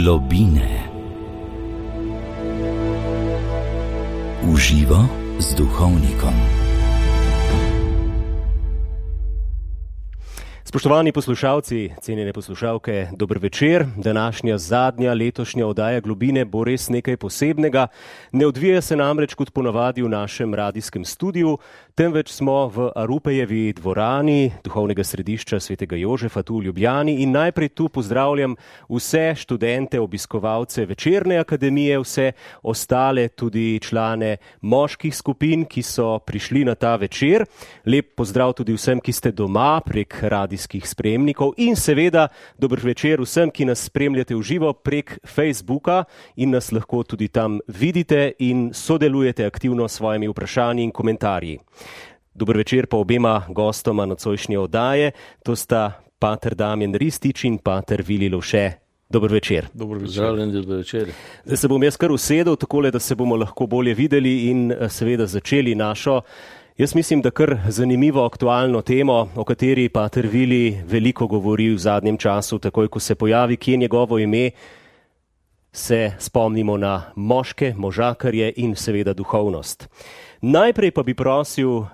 Globine. V živo z duhovnikom. Spoštovani poslušalci, cenjene poslušalke, dober večer. Današnja zadnja letošnja oddaja Globine bo res nekaj posebnega. Ne odvija se namreč kot ponavadi v našem radijskem studiu, temveč smo v Arupejevi dvorani duhovnega središča Svetega Jožefa tu v Ljubljani in najprej tu pozdravljam vse študente, obiskovalce Večerne akademije, vse ostale tudi člane moških skupin, ki so prišli na ta večer. Lep pozdrav tudi vsem, ki ste doma prek radijskih spremnikov in seveda dober večer vsem, ki nas spremljate v živo prek Facebooka in nas lahko tudi tam vidite in sodelujete aktivno s svojimi vprašanji in komentarji. Dober večer pa obema gostoma nocojšnje oddaje, to sta pater Damjan Ristič in pater Vili Lovše. Dober večer. Dober večer. Zdaj se bom jaz kar usedel, takole, da se bomo lahko bolje videli in seveda začeli našo, jaz mislim, da kar zanimivo aktualno temo, o kateri pater Vili veliko govori v zadnjem času, takoj ko se pojavi kje njegovo ime, se spomnimo na moške, možakarje in seveda duhovnost. Najprej pa bi prosil,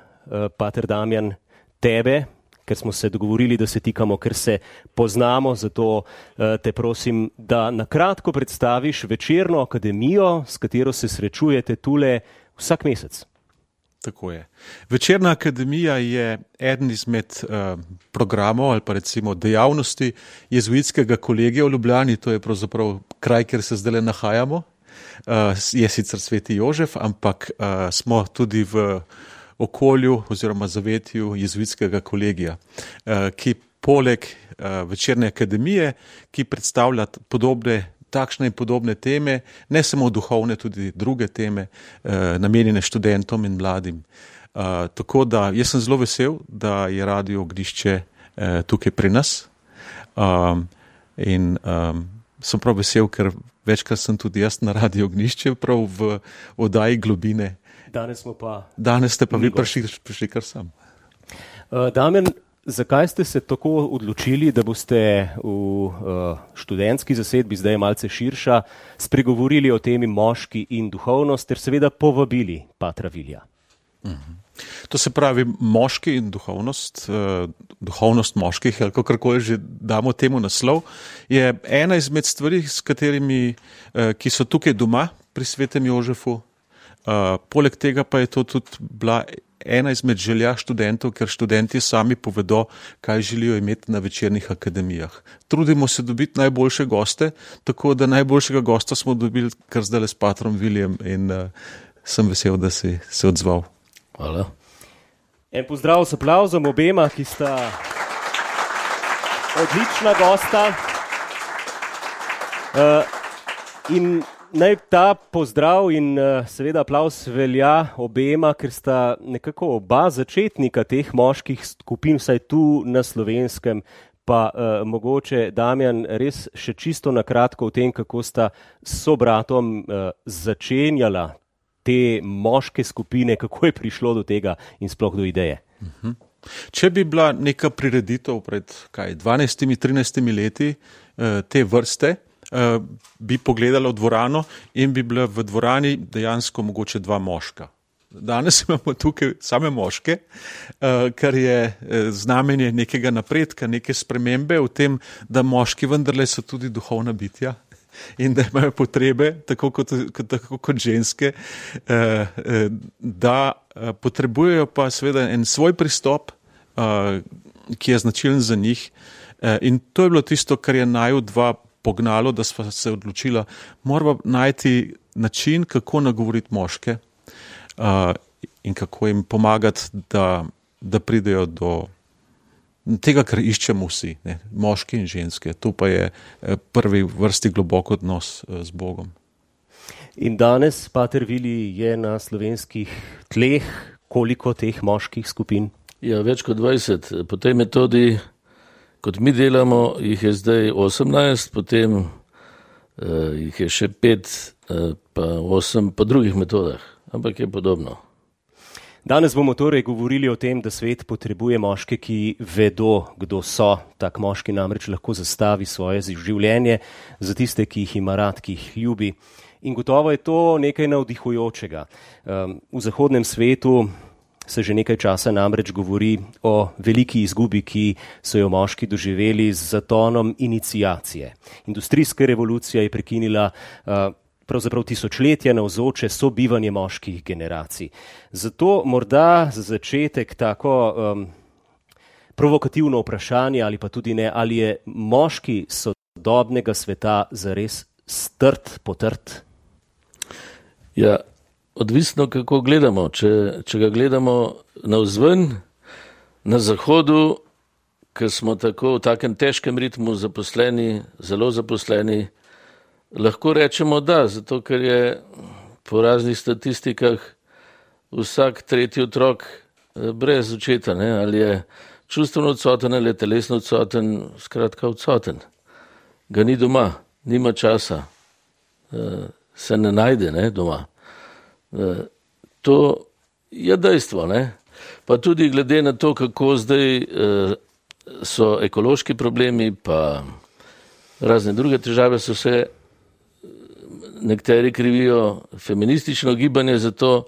pater Damjan, tebe, ker smo se dogovorili, da se tikamo, ker se poznamo, zato te prosim, da na kratko predstaviš Večerno akademijo, s katero se srečujete tule vsak mesec. Tako je. Večerna akademija je eden izmed programov ali pa recimo dejavnosti jezuitskega kolegija v Ljubljani, to je pravzaprav kraj, kjer se zdaj nahajamo. Je sicer Sveti Jožef, ampak smo tudi v okolju oziroma zavetju jezuitskega kolegija, ki poleg Večerne akademije, ki predstavlja takšne in podobne teme, ne samo duhovne, tudi druge teme, namenjene študentom in mladim. Tako da jaz sem zelo vesel, da je Radio Ognjišče tukaj pri nas in sem prav vesel, ker večkrat sem tudi jaz na Radio Ognjišče prav v oddaji Globine. Danes ste pa vi prišli kar sam. Damjan, zakaj ste se tako odločili, da boste v študentski zasedbi, zdaj je malce širša, spregovorili o temi moški in duhovnost, ter seveda povabili patra Vilija? To se pravi, moški in duhovnost, duhovnost moških, ali kakorkoli že damo temu naslov, je ena izmed stvari, s katerimi, ki so tukaj doma pri Svetem Jožefu. Poleg tega pa je to tudi bila ena izmed želja študentov, ker študenti sami povedo, kaj želijo imeti na večernih akademijah. Trudimo se dobiti najboljše goste, tako da najboljšega gosta smo dobili kar zdaj s patrom Vilijem in sem vesel, da si se odzval. Hvala. En pozdrav s aplavzom obema, ki sta odlična gosta. In naj ta pozdrav in seveda aplavz velja obema, ker sta nekako oba začetnika teh moških skupin, vsaj tu na Slovenskem, pa mogoče Damjan res še čisto na kratko o tem, kako sta s sobratom začenjala te moške skupine, kako je prišlo do tega in sploh do ideje. Če bi bila neka prireditev pred 12-13 leti te vrste, bi pogledala v dvorano in bi bila v dvorani dejansko mogoče dva moška. Danes imamo tukaj same moške, kar je znamenje nekega napredka, neke spremembe v tem, da moški vendarle so tudi duhovna bitja in da imajo potrebe, tako kot ženske, da potrebujejo pa seveda en svoj pristop, ki je značilen za njih. In to je bilo tisto, kar je naju dva pognalo, da sva se odločila, moramo najti način, kako nagovoriti moške in kako jim pomagati, da pridejo do tega, kar iščemo vsi, ne? Moški in ženske. To pa je prvi vrsti globok odnos z Bogom. In danes, pater Vili, je na slovenskih tleh koliko teh moških skupin? Ja, več kot 20. Po tej metodi, kot mi delamo, jih je zdaj 18, potem jih je še 5, pa 8 po drugih metodah, ampak je podobno. Danes bomo torej govorili o tem, da svet potrebuje moške, ki vedo, kdo so. Tak moški namreč lahko zastavi svoje življenje za tiste, ki jih ima rad, ki jih ljubi. In gotovo je to nekaj navdihujočega. V zahodnem svetu se že nekaj časa namreč govori o veliki izgubi, ki so jo moški doživeli z zatonom iniciacije. Industrijska revolucija je prekinila pravzaprav tisočletja navzoče sobivanje moških generacij. Zato morda za začetek tako provokativno vprašanje ali pa tudi ne, ali je moški sodobnega sveta zares strt, potrt? Ja, odvisno, kako gledamo. Če ga gledamo navzven, na zahodu, ker smo tako v takem težkem ritmu zaposleni, zelo zaposleni, lahko rečemo da, zato ker je po raznih statistikah vsak tretji otrok brez očeta, ne? Ali je čustveno odsoten ali je telesno odsoten, skratka odsoten. Ga ni doma, nima časa, se ne najde, ne, doma. To je dejstvo, ne? Pa tudi glede na to, kako zdaj so ekološki problemi, pa razne druge težave, so se nekateri krivijo feministično gibanje za to.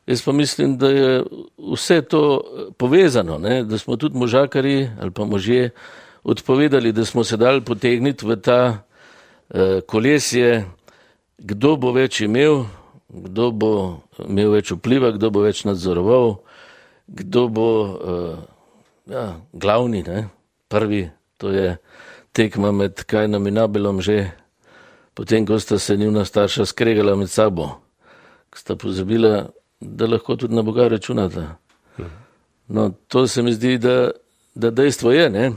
Jaz pa mislim, da je vse to povezano, ne? Da smo tudi možakari ali pa možje odpovedali, da smo se dali potegniti v ta kolesje, kdo bo več imel, kdo bo imel več vpliva, kdo bo več nadzoroval, kdo bo glavni, ne? Prvi, to je tekma med Kainom in Abelom že, potem, ko sta se njuna starša skregala med sabo, ko sta pozabila, da lahko tudi na Boga računata. No, to se mi zdi, da dejstvo je, ne?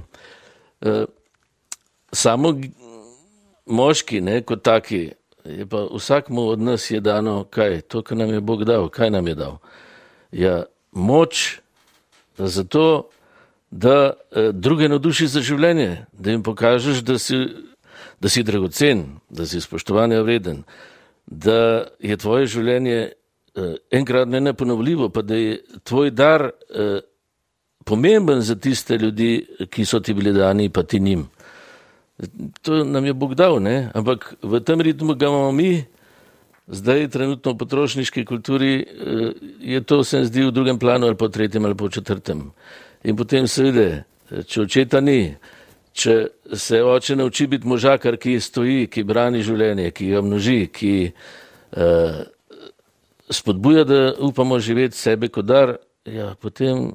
Samo moški, ne, kot taki, je pa vsakmu od nas je dano kaj? To, kar nam je Bog dal. Kaj nam je dal? Ja, moč zato, da druge navduši za življenje, da jim pokažeš, da si dragocen, da si spoštovanja vreden, da je tvoje življenje enkrat neponovljivo, pa da je tvoj dar pomemben za tiste ljudi, ki so ti bili dani, pa ti njim. To nam je Bog dal, ne? Ampak v tem ritmu ga imamo mi, zdaj trenutno v potrošniški kulturi je to, se mi zdi, v drugem planu ali po tretjem ali po četrtem. In potem seveda, če očeta ni, če se oče nauči biti možakar, ki stoji, ki brani življenje, ki ga množi, ki spodbuja, da upamo živeti sebe kot dar, ja, potem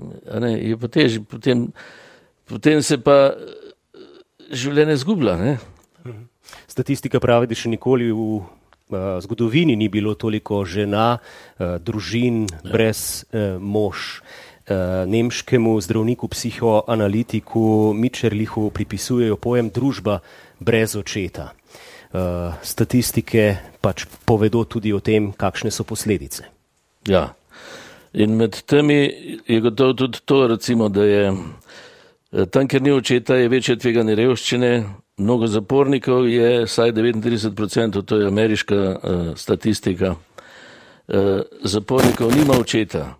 je pa težje, potem se pa življenje zgublja, ne? Statistika pravi, da še nikoli v zgodovini ni bilo toliko žena, družin brez mož. Nemškemu zdravniku, psihoanalitiku Mitscherlichu pripisujejo pojem družba brez očeta. Statistike pač povedo tudi o tem, kakšne so posledice. Ja, in med temi je gotovo tudi to, recimo, da je tam, kjer ni očeta, je večje tveganje revščine, mnogo zapornikov je, vsaj 39%, to je ameriška statistika, zapornikov nima očeta.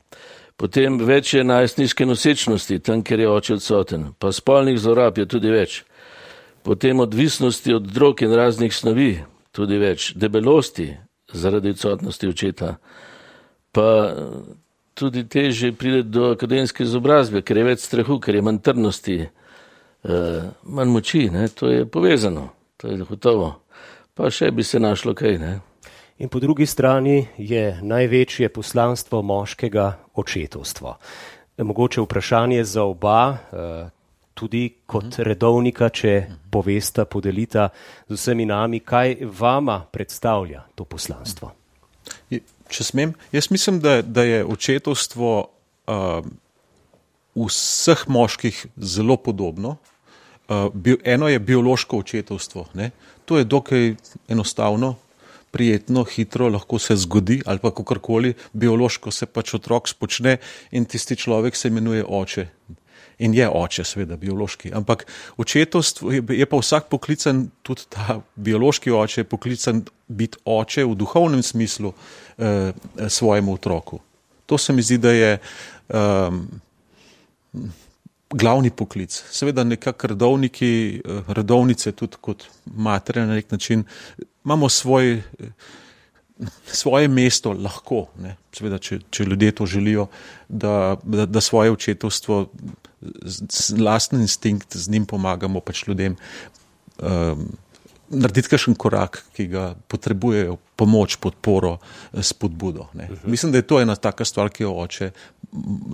Potem več je najstniške nosečnosti, tam, kjer je oče odsoten, pa spolnih zlorab je tudi več. Potem odvisnosti od drog in raznih snovi, tudi več. Debelosti zaradi odsotnosti očeta, pa tudi težje pride do akademske izobrazbe, ker je več strahu, ker je manj trdnosti, manj moči, ne? To je povezano, to je gotovo. Pa še bi se našlo kaj, ne? In po drugi strani je največje poslanstvo moškega očetovstvo. Mogoče vprašanje za oba, tudi kot redovnika, če povesta, podelita z vsemi nami, kaj vama predstavlja to poslanstvo? Če smem, jaz mislim, da je očetovstvo vseh moških zelo podobno. Eno je biološko očetovstvo, ne? To je dokaj enostavno, prijetno, hitro, lahko se zgodi ali pa kakorkoli, biološko se pač otrok spočne in tisti človek se imenuje oče. In je oče, seveda, biološki. Ampak očetovstvo je pa vsak poklican, tudi ta biološki oče je poklican biti oče v duhovnem smislu svojemu otroku. To se mi zdi, da je glavni poklic. Seveda nekako redovnice tudi kot matere na nek način imamo svoje mesto lahko, ne. Seveda, če ljudje to želijo, da svoje očetovstvo, lastni instinkt z njim pomagamo pač ljudem narediti kakšen korak, ki ga potrebujejo, pomoč, podporo, spodbudo. Ne. Mislim, da je to ena taka stvar, ki jo oče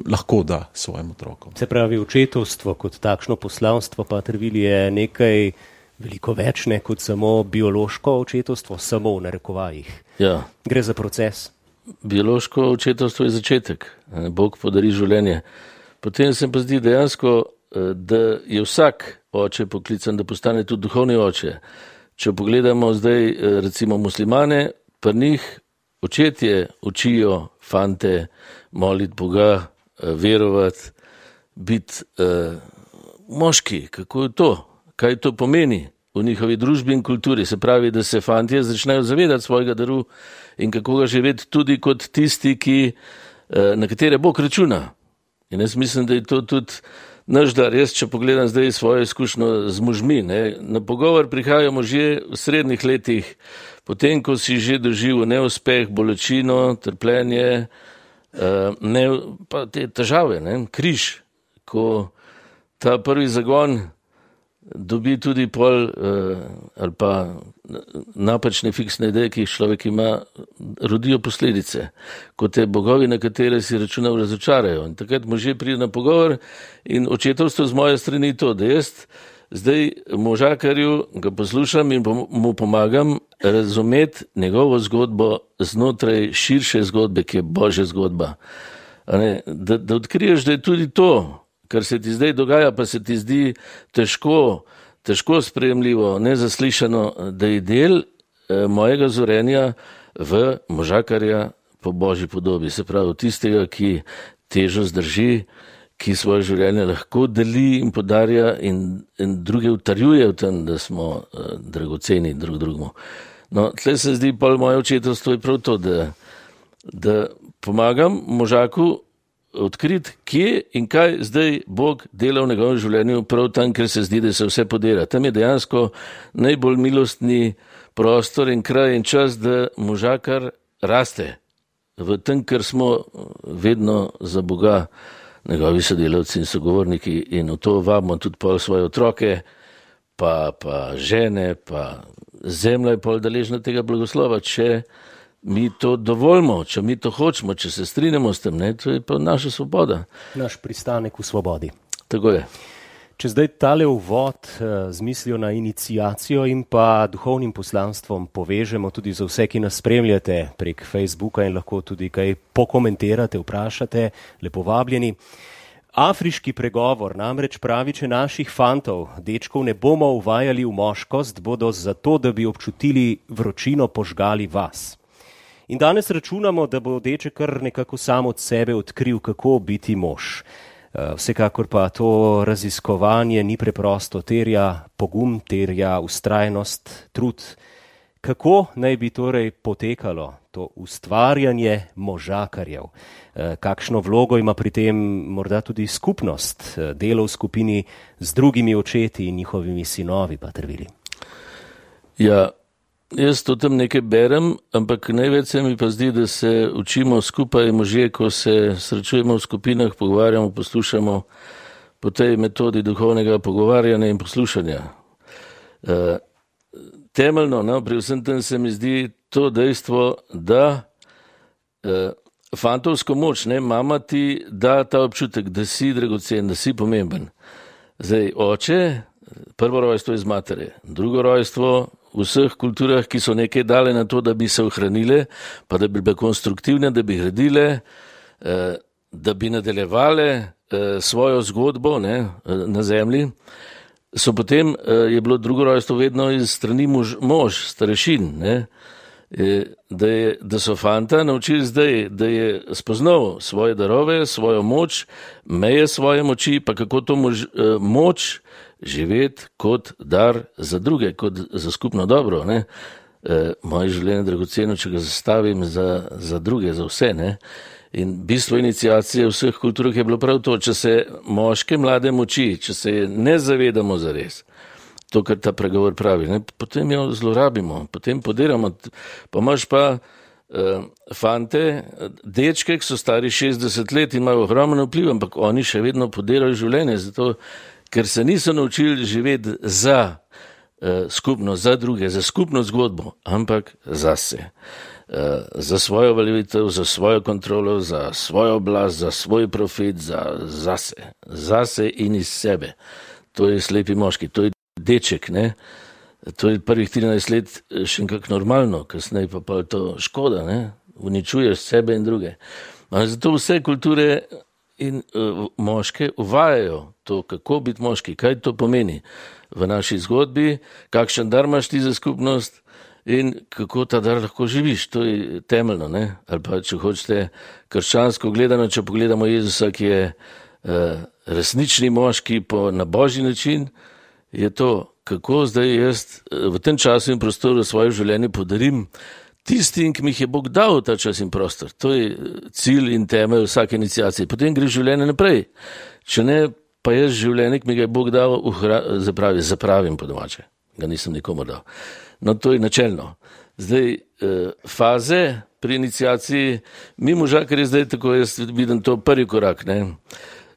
lahko da svojim otrokom. Se pravi, očetovstvo kot takšno poslanstvo, pater Vili, je nekaj veliko več, ne, kot samo biološko očetovstvo, samo v narekovajih. Ja. Gre za proces. Biološko očetovstvo je začetek. Bog podari življenje. Potem se pa zdi dejansko, da je vsak oče poklican, da postane tudi duhovni oče. Če pogledamo zdaj recimo muslimane, pri njih očetje učijo fante moliti Boga, verovati, biti moški. Kako je to? Kaj to pomeni v njihovi družbi in kulturi? Se pravi, da se fantje začnejo zavedati svojega daru in kako ga živeti tudi kot tisti, na katere Bog računa. In jaz mislim, da je to tudi naš dar. Jaz, če pogledam zdaj svojo izkušnjo z možmi, ne, na pogovor prihajajo možje v srednjih letih, potem, ko si že doživel neuspeh, bolečino, trpljenje, pa te težave, ne, križ, ko ta prvi zagon dobi tudi pol ali pa napačne fiksne ideje, ki jih človek ima, rodijo posledice, ko te bogovi, na katere si računal, razočarajo. In takrat možje pride na pogovor in očetovstvo z moje strani to, da jaz zdaj možakarju ga poslušam in mu pomagam razumeti njegovo zgodbo znotraj širše zgodbe, ki je Božja zgodba. Da odkriješ, da je tudi to, kar se ti zdaj dogaja, pa se ti zdi težko sprejemljivo, nezaslišano, da je del mojega zorenja v možakarja po Božji podobi. Se pravi, tistega, ki težo zdrži, ki svoje življenje lahko deli in podarja in druge utrjuje v tem, da smo dragoceni drug drugemu. No, tle se zdi pa moje očetovstvo je prav to, da pomagam možaku odkriti, kje in kaj zdaj Bog dela v njegovem življenju, prav tam, ker se zdi, da se vse podira. Tam je dejansko najbolj milostni prostor in kraj in čas, da možakar raste v tem, ker smo vedno za Boga njegovi sodelavci in sogovorniki in v to vabimo tudi pol svoje otroke, pa žene, pa zemlja je pol deležna tega blagoslova, če mi to dovolimo, če mi to hočemo, če se strinjamo s tem, ne, to je pa naša svoboda. Naš pristanek v svobodi. Tako je. Če zdaj tale uvod z mislijo na iniciacijo in pa duhovnim poslanstvom povežemo tudi za vse, ki nas spremljate prek Facebooka in lahko tudi kaj pokomentirate, vprašate, lepo vabljeni. Afriški pregovor namreč pravi, če naših fantov, dečkov ne bomo uvajali v moškost, bodo zato, da bi občutili vročino, požgali vas. In danes računamo, da bo deček kar nekako sam od sebe odkril, kako biti mož. Vsekakor pa to raziskovanje ni preprosto, terja pogum, terja vztrajnost, trud. Kako naj bi torej potekalo to ustvarjanje možakarjev? Kakšno vlogo ima pri tem morda tudi skupnost, delo v skupini z drugimi očeti in njihovimi sinovi, pater Vili? Ja, jaz to tam nekaj berem, ampak največ se mi pa zdi, da se učimo skupaj možje, ko se srečujemo v skupinah, pogovarjamo, poslušamo po tej metodi duhovnega pogovarjanja in poslušanja. Temeljno, pri vsem tem se mi zdi to dejstvo, da fantovsko moč, mama ti da ta občutek, da si dragocen, da si pomemben. Zdaj, oče, prvo rojstvo iz matere, drugo rojstvo v vseh kulturah, ki so nekaj dale na to, da bi se ohranile, pa da bi bile konstruktivne, da bi gradile, da bi nadaljevale svojo zgodbo na zemlji, so potem je bilo drugo rojstvo vedno iz strani mož, starešin, da so fanta naučili zdaj, da je spoznal svoje darove, svojo moč, meje svoje moči, pa kako to moč živeti kot dar za druge, kot za skupno dobro. Moje življenje je dragoceno, če ga zastavim za druge, za vse. In bistvo iniciacije v vseh kulturah je bilo prav to, če se moške mlade moči, če se ne zavedamo zares, to, kar ta pregovor pravi, ne, potem jo zlorabimo, potem podiramo, pa imaš pa fante, dečke, ki so stari 60 let in imajo ogromno vpliv, ampak oni še vedno podirajo življenje, zato, ker se niso naučili živeti za skupno, za druge, za skupno zgodbo, ampak zase. Za svojo veljavitev, za svojo kontrolo, za svojo oblast, za svoj profit, zase in iz sebe. To je slepi moški, to je deček, ne? To je prvih 13 let še nekako normalno, kasneje pa je to škoda, ne? Uničuješ sebe in druge. Zato vse kulture in moške uvajajo to, kako biti moški, kaj to pomeni v naši zgodbi, kakšen dar imaš ti za skupnost, in kako ta dar lahko živiš, to je temeljno, ne? Ali pa, če hočete, krščansko gledano, če pogledamo Jezusa, ki je resnični moški na božji način, je to, kako zdaj jaz v tem času in prostoru svoje življenje podarim tistim, ki mi jih je Bog dal ta čas in prostor. To je cilj in temelj vsake iniciacije. Potem gre življenje naprej. Če ne, pa jaz življenje, ki mi ga je Bog dal, zapravim po domače. Ga nisem nikomu dal. No, to je načelno. Zdaj, faze pri iniciaciji, mi možakar je zdaj tako, jaz vidim to prvi korak, ne.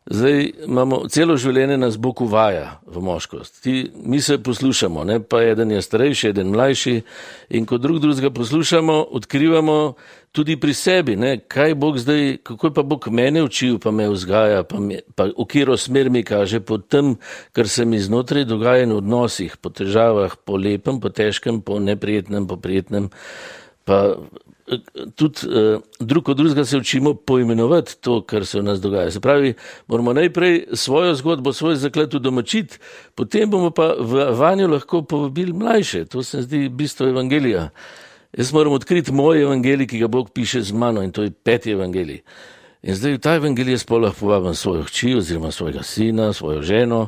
Zdaj imamo, celo življenje nas Bog uvaja v moškost. Mi se poslušamo, ne, pa eden je starejši, eden mlajši in ko drugega poslušamo, odkrivamo tudi pri sebi, ne, kaj Bog zdaj, kako je pa Bog mene učil, pa me vzgaja, pa v katero smer mi kaže po tem, kar se mi znotraj dogaja in v odnosih, po težavah, po lepem, po težkem, po neprijetnem, po prijetnem, pa tudi drug od drugega se učimo poimenovati to, kar se v nas dogaja. Se pravi, moramo najprej svojo zgodbo, svoj zaklet udomačiti, potem bomo pa vanjo lahko povabili mlajše. To se zdi bistvo evangelija. Jaz moram odkriti moj evangelij, ki ga Bog piše z mano in to je 5. evangelij. In zdaj v ta evangelij jaz lahko povabim svojo hči oziroma svojega sina, svojo ženo.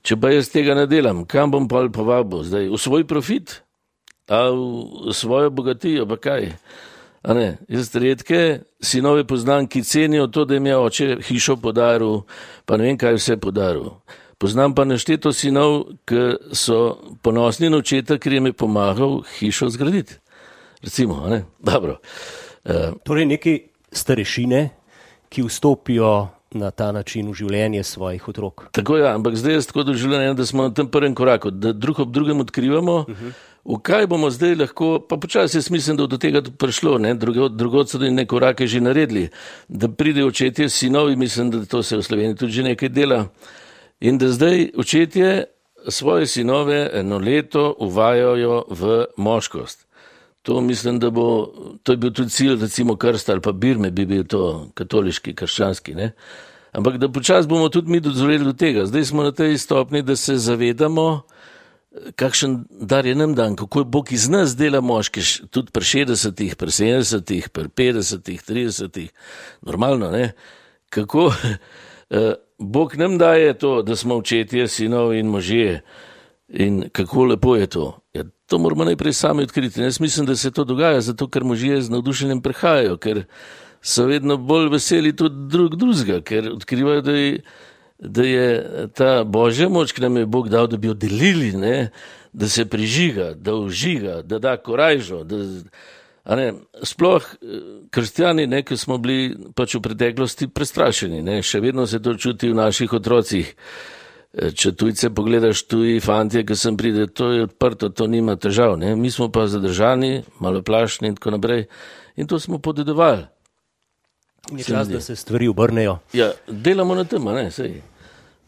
Če pa jaz tega ne delam, kam bom pa povabil? Zdaj v svoj profit? A v svojo bogatijo, pa kaj? A ne, jaz redke sinove poznam, ki cenijo to, da jim je oče hišo podaril, pa ne vem, kaj vse podaril. Poznam pa nešteto sinov, ki so ponosni na očeta, ker jim je pomagal hišo zgraditi. Recimo, a ne? Dobro. Torej neki starešine, ki vstopijo na ta način v življenje svojih otrok. Tako ja, ampak zdaj je tako doživljeno, da smo na tem prvem koraku, da drug ob drugem odkrivamo, v kaj bomo zdaj lahko, pa počasi jaz mislim, da do tega prišlo, ne, drugod so ne korake že naredili, da pride očetje sinovi, mislim, da to se v Sloveniji tudi že nekaj dela, in da zdaj očetje svoje sinove 1 leto uvajajo v moškost. To mislim, da to je bil tudi cilj, recimo krsta ali pa birme bi bil to katoliški, krščanski, ne. Ampak da počasi bomo tudi mi dozoreli do tega. Zdaj smo na tej stopni, da se zavedamo, kakšen dar je nam dan, kako je Bog iz nas dela moški, tudi pri 60-ih, pri 70-ih, pri 50-ih, 30-ih, normalno, ne. Kako Bog nam daje to, da smo očetje, sinov in možje in kako lepo je to. Ja, to moramo najprej sami odkriti. Jaz mislim, da se to dogaja, zato ker možje z navdušenjem prihajajo, ker so vedno bolj veseli tudi drugega, ker odkrivajo, da je ta božja moč, ki nam je Bog dal, da bi jo delili, ne, da se prižiga, da užiga, da da korajžo, sploh kristjani, ne, ki smo bili pač v preteklosti prestrašeni, ne, še vedno se to čuti v naših otrocih. Če tujce pogledaš, tuji fantje, ki sem pride, to je odprto, to nima težav, ne, mi smo pa zadržani, maloplašni in tako naprej in to smo podedovali. Je čas, da se stvari obrnejo. Ja, delamo na tem, ne, sej.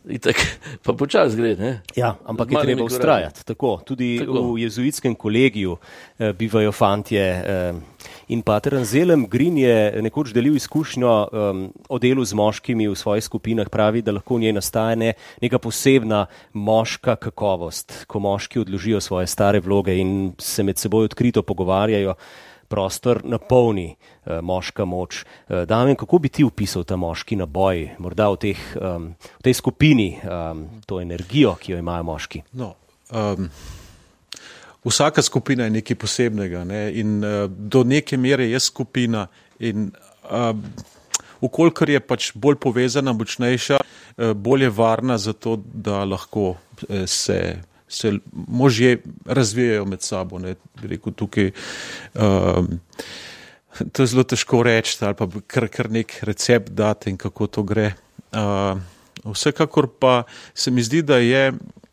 Itak, pa počas gre, ne? Ja, ampak je treba ustrajati. Tako, tudi v jezuitskem kolegiju bivajo fantje in pater Anselm Green je nekoč delil izkušnjo o delu z moškimi v svojih skupinah, pravi, da lahko v njej nastane neka posebna moška kakovost, ko moški odložijo svoje stare vloge in se med seboj odkrito pogovarjajo, prostor napolni moška moč. Damjan, kako bi ti opisal ta moški naboj, morda v tej skupini, to energijo, ki jo imajo moški? No, vsaka skupina je nekaj posebnega, ne? In do neke mere je skupina in Ukolikor je pač bolj povezana, močnejša, bolj je varna za to, da lahko se možje razvijajo med sabo. Ne. Bi rekel tukaj, to je zelo težko reči, ali pa kar nek recept dati in kako to gre. Vsekakor pa se mi zdi, da je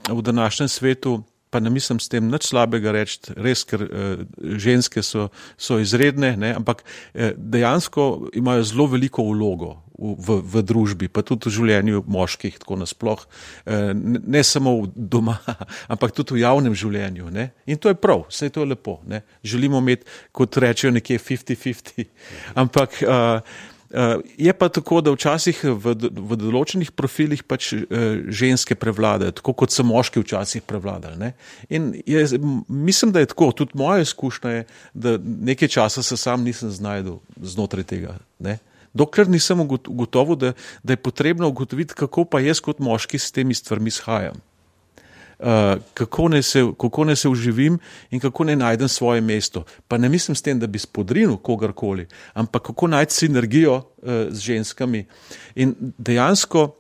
v današnjem svetu, pa ne mislim s tem nič slabega reči, res, ker ženske so izredne, ne, ampak dejansko imajo zelo veliko vlogo v družbi, pa tudi v življenju moških, tako nasploh, ne samo doma, ampak tudi v javnem življenju. Ne. In to je prav, vse to je lepo. Ne. Želimo imeti, kot rečejo, nekje 50-50, ampak je pa tako, da včasih v določenih profilih pač ženske prevladajo, tako kot so moški včasih prevladali. Ne? In mislim, da je tako, tudi moja izkušnja je, da nekaj časa se sam nisem znajdel znotraj tega. Ne? Dokler nisem ugotovil, da je potrebno ugotoviti, kako pa jaz kot moški s temi stvarmi shajam. Kako naj se uživim in kako naj najdem svoje mesto. Pa ne mislim s tem, da bi spodrinil kogarkoli, ampak kako najti sinergijo z ženskami. In dejansko,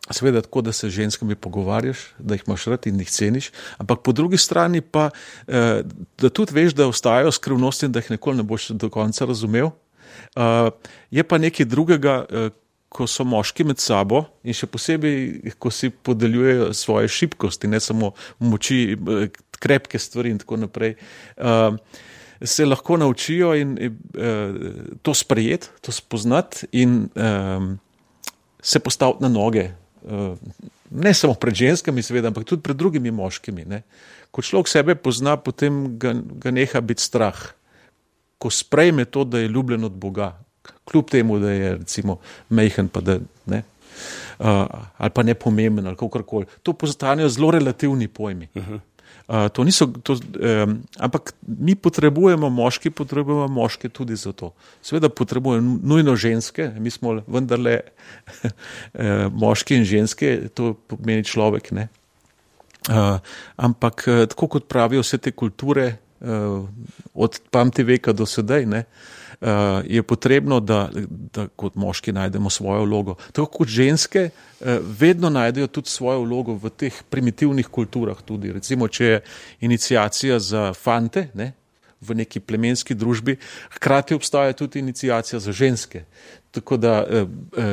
seveda tako, da se z ženskami pogovarjaš, da jih imaš rad in jih ceniš, ampak po drugi strani pa, da tudi veš, da ostajajo skrivnosti in da jih nikoli ne boš do konca razumel. Je pa nekaj drugega, ko so moški med sabo in še posebej, ko si podeljujejo svoje šibkosti, ne samo moči, krepke stvari in tako naprej, se lahko naučijo in to sprejeti, to spoznati in se postaviti na noge. Ne samo pred ženskami, seveda, ampak tudi pred drugimi moškimi. Ne. Ko človek sebe pozna, potem ga neha biti strah. Ko sprejme to, da je ljubljen od Boga, kljub temu, da je recimo majhen, pa da ne, ali pa nepomemben, ali kakorkoli. To postanejo zelo relativni pojmi. To niso, ampak mi potrebujemo moške tudi za to. Seveda potrebujemo nujno ženske, mi smo vendarle moški in ženske, to pomeni človek, ne. Ampak tako kot pravijo vse te kulture, od pamti veka do sedaj, ne, je potrebno, da kot moški najdemo svojo vlogo. Tako kot ženske vedno najdejo tudi svojo vlogo v teh primitivnih kulturah tudi. Recimo, če je iniciacija za fante, ne, v neki plemenski družbi, hkrati obstaja tudi iniciacija za ženske. Tako da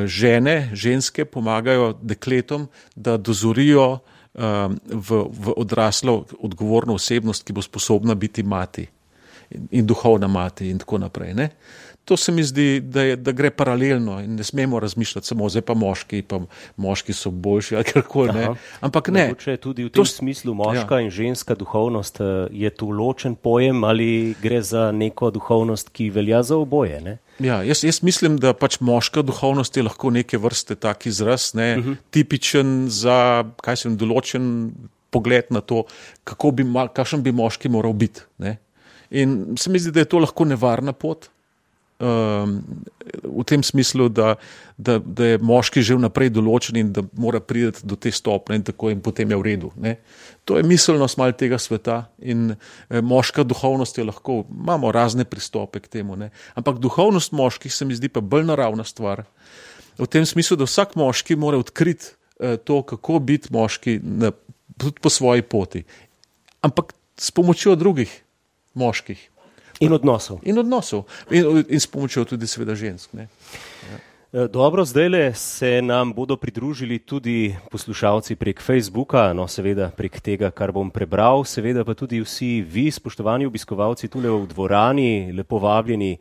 ženske pomagajo dekletom, da dozorijo v odraslo odgovorno osebnost, ki bo sposobna biti mati in duhovna mati in tako naprej. Ne? To se mi zdi, da gre paralelno in ne smemo razmišljati samo zdaj pa moški so boljši ali karkoli. Ne? Ampak ne. Mogoče tudi v tem smislu moška in ženska duhovnost, je tu ločen pojem ali gre za neko duhovnost, ki velja za oboje, ne? Ja, jaz mislim, da pač moška duhovnost je lahko neke vrste tak izraz, ne, tipičen za, določen pogled na to, kakšen bi moški moral biti. Ne. In se mi zdi, da je to lahko nevarna pot, v tem smislu, da je moški že vnaprej določen in da mora priti do te stopne in tako in potem je v redu. Ne. To je miselnost malo tega sveta in moška duhovnost je lahko, imamo razne pristope k temu, ne. Ampak duhovnost moških se mi zdi pa bolj naravna stvar. V tem smislu, da vsak moški mora odkriti to, kako biti moški tudi po svoji poti. Ampak s pomočjo drugih moških. In odnosov. In s pomočjo tudi seveda žensk. Ne? Ja. Dobro, zdajle se nam bodo pridružili tudi poslušalci prek Facebooka, no seveda prek tega, kar bom prebral, seveda pa tudi vsi vi, spoštovani obiskovalci tule v dvorani, lepo vabljeni,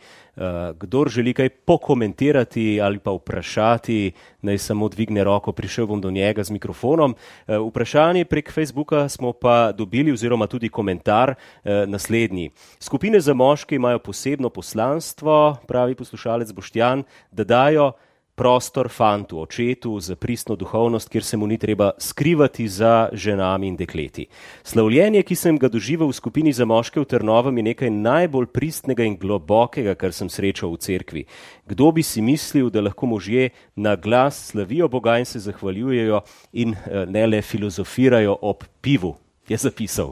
kdor želi kaj pokomentirati ali pa vprašati, naj samo dvigne roko, prišel bom do njega z mikrofonom. Vprašanje prek Facebooka smo pa dobili oziroma tudi komentar naslednji. Skupine za moške imajo posebno poslanstvo, pravi poslušalec Boštjan, da dajo prostor fantu, očetu za pristno duhovnost, kjer se mu ni treba skrivati za ženami in dekleti. Slavljenje, ki sem ga doživel v skupini za moške v Trnovem, je nekaj najbolj pristnega in globokega, kar sem srečal v cerkvi. Kdo bi si mislil, da lahko možje na glas slavijo Boga in se zahvaljujejo in ne le filozofirajo ob pivu, je zapisal.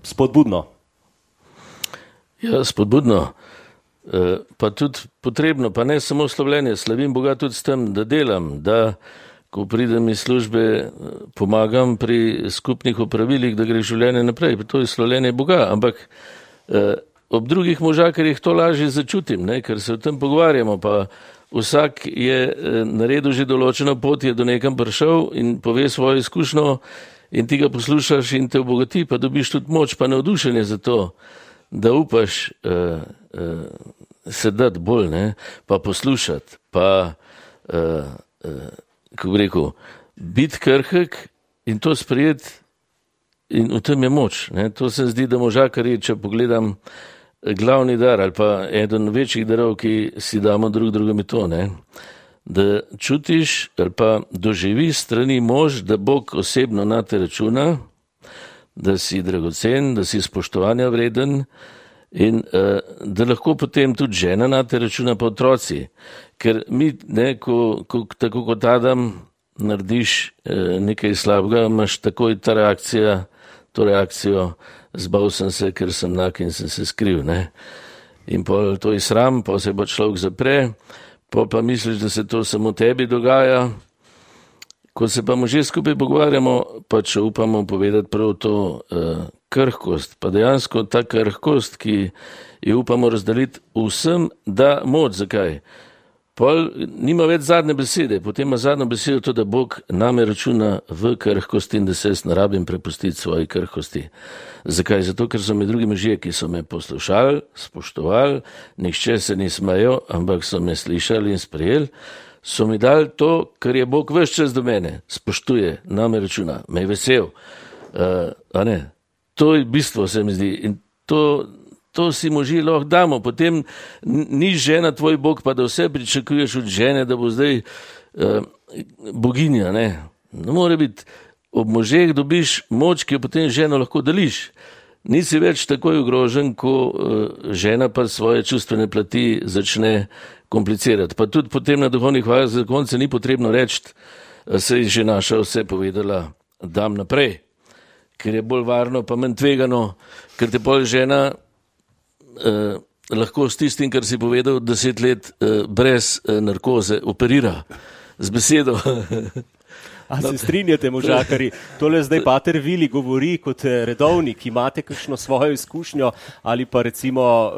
Spodbudno. Ja, spodbudno. pa tudi potrebno, pa ne samo slavljenje, slavim Boga tudi s tem, da delam, da ko pridem iz službe, pomagam pri skupnih opravilih, da gre življenje naprej. To je slavljenje Boga, ampak ob drugih možakarjih to lažje začutim, ne? Ker se o tem pogovarjamo, pa vsak je naredil že določeno pot, je do nekam prišel in pove svojo izkušnjo in ti ga poslušaš in te obogati, pa dobiš tudi moč, pa navdušenje za to, da upaš se dati bolj, ne? Pa poslušati, pa kako bi rekel, biti krhek in to sprejeti in v tem je moč. Ne? To se zdi, da možakarji, če pogledam glavni dar ali pa eden večjih darov, ki si damo drug drugemu to, ne? Da čutiš ali pa doživiš strani mož, da Bog osebno na te računa, da si dragocen, da si spoštovanja vreden in da lahko potem tudi žena na te računa pa otroci. Ker mi, ne, tako kot Adam narediš nekaj slabega, imaš takoj to reakcijo, zbal sem se, ker sem nak in sem se skril. Ne? In pol to je sram, pa se pa človek zapre, pa misliš, da se to samo tebi dogaja. Ko se pa možje skupaj pogovarjamo, pa če upamo povedati prav to krhkost, pa dejansko ta krhkost, ki jo upamo razdeliti vsem, da moč. Zakaj? Pol nima več zadnje besede, potem ima zadnjo besedo to, da Bog name računa v krhkosti in da se jaz ne rabim prepustiti svoji krhkosti. Zakaj? Zato, ker so me drugi možje, ki so me poslušali, spoštovali, nihče se ni smejal, ampak so me slišali in sprejeli, so mi dali to, kar je Bog ves čas do mene, spoštuje, name računa, me je vesel. A ne? To je bistvo, se mi zdi. In to si možje lahko damo. Potem ni žena tvoj Bog, pa da vse pričakuješ od žene, da bo zdaj boginja. Ne more biti. Ob možeh dobiš moč, ki jo potem ženo lahko deliš. Nisi več takoj ogrožen, ko žena pa svoje čustvene plati začne komplicirati. Pa tudi potem na duhovnih vajah za konce ni potrebno reči, se je že naša vse povedala, dam naprej. Ker je bolj varno, pa manj tvegano, ker te pol žena lahko s tistim, kar si povedal, 10 let brez narkoze operira z besedo. A se strinjate, možakari? Tole zdaj pater Vili govori kot redovnik, imate kakšno svojo izkušnjo ali pa recimo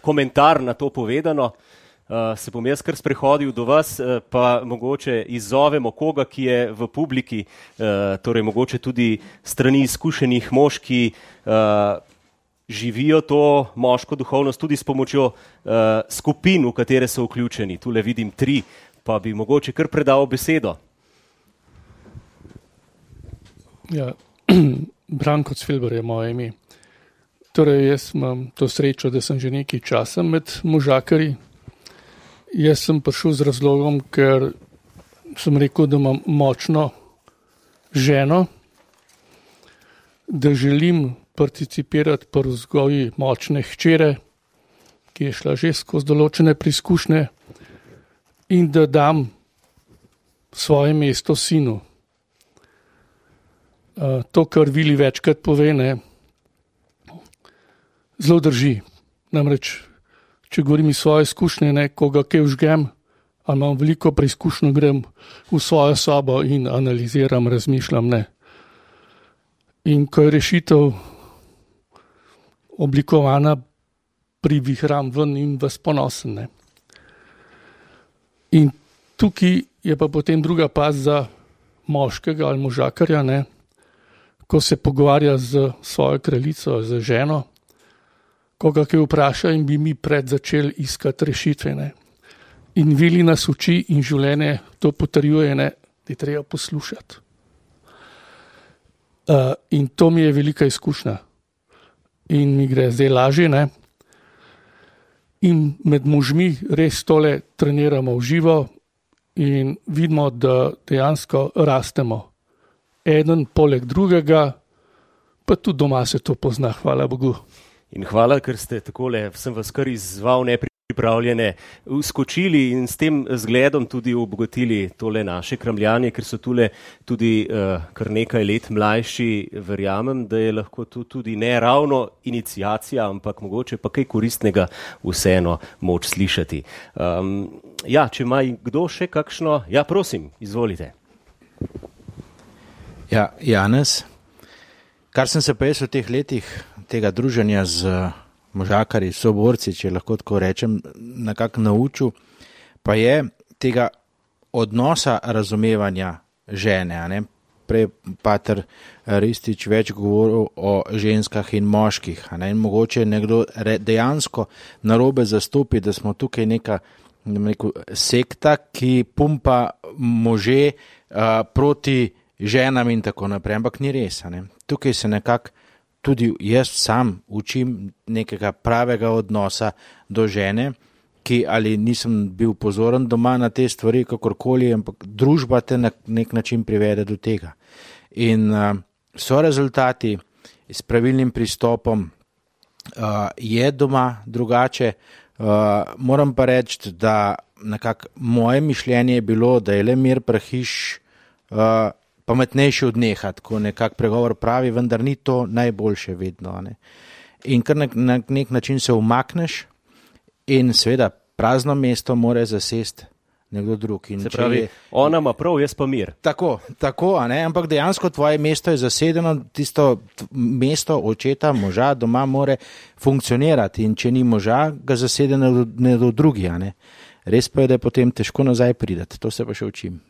komentar na to povedano. Se bom jaz kar sprehodil do vas, pa mogoče izzovemo koga, ki je v publiki, torej mogoče tudi strani izkušenih mož, ki živijo to moško duhovnost tudi s pomočjo skupin, v katere so vključeni. Tule vidim 3, pa bi mogoče kar predal besedo. Ja, Branko Cvilber je moje ime. Torej, jaz imam to srečo, da sem že nekaj časa med možakarji. Jaz sem prišel z razlogom, ker sem rekel, da imam močno ženo, da želim participirati pri vzgoji močne hčere, ki je šla že skozi določene preizkušnje, in da dam svoje mesto sinu. To, kar Vili večkrat pove, ne, zelo drži. Namreč, če govorim iz svoje izkušnje, ne, koga kaj vžgem, ali imam veliko preizkušnjo, grem v svojo sobo in analiziram, razmišljam, ne. In ko je rešitev oblikovana, privihram ven in vas ponosen. Ne. In tukaj je pa potem druga past za moškega ali možakarja, ne, ko se pogovarja z svojo kraljico, z ženo, koga kaj vpraša in bi mi pred začeli iskati rešitve. Ne. In Vili nas uči in življenje to potrjuje, ne, da je treba poslušati. In to mi je velika izkušnja. In mi gre zdaj lažje, ne. In med možmi res tole treniramo v živo in vidimo, da dejansko rastemo. Eden poleg drugega, pa tudi doma se to pozna, hvala Bogu. In hvala, ker ste takole, sem vas kar izzval nepripravljeno pripravljene uskočili in s tem zgledom tudi obogatili tole naše kramljanje, ker so tule tudi kar nekaj let mlajši. Verjamem, da je lahko to tudi ne ravno iniciacija, ampak mogoče pa kaj koristnega vseeno moč slišati. Ja, če ima kdo še kakšno, ja, prosim, izvolite. Ja, Janez, kar sem se pa jaz v teh letih tega druženja z možakarji, soborci, če lahko tako rečem, nekako naučil, pa je tega odnosa razumevanja žene. Ne? Prej pater Ristič več govoril o ženskah in moških. Ne? In mogoče nekdo dejansko narobe zastopi, da smo tukaj neka sekta, ki pumpa može proti ženam in tako naprej, ampak ni res. Ne? Tukaj se nekako tudi jaz sam učim nekega pravega odnosa do žene, ki ali nisem bil pozoren doma na te stvari, kakorkoli, ampak družba te na nek način privede do tega. In so rezultati s pravilnim pristopom, je doma drugače. Moram pa reči, da nekako moje mišljenje je bilo, da je le mir prahiš pametnejši od neha, tako nekak pregovor pravi, vendar ni to najboljše vedno. Ne? In kar na nek način se umakneš in seveda prazno mesto mora zasesti nekdo drug. In se pravi, ona ima prav, jaz pa mir. Tako, a ne? Ampak dejansko tvoje mesto je zasedeno, tisto mesto očeta, moža doma more funkcionirati in če ni moža, ga zasede nekdo drugi, a ne? Res pa je, da je potem težko nazaj pridati, to se pa še učim.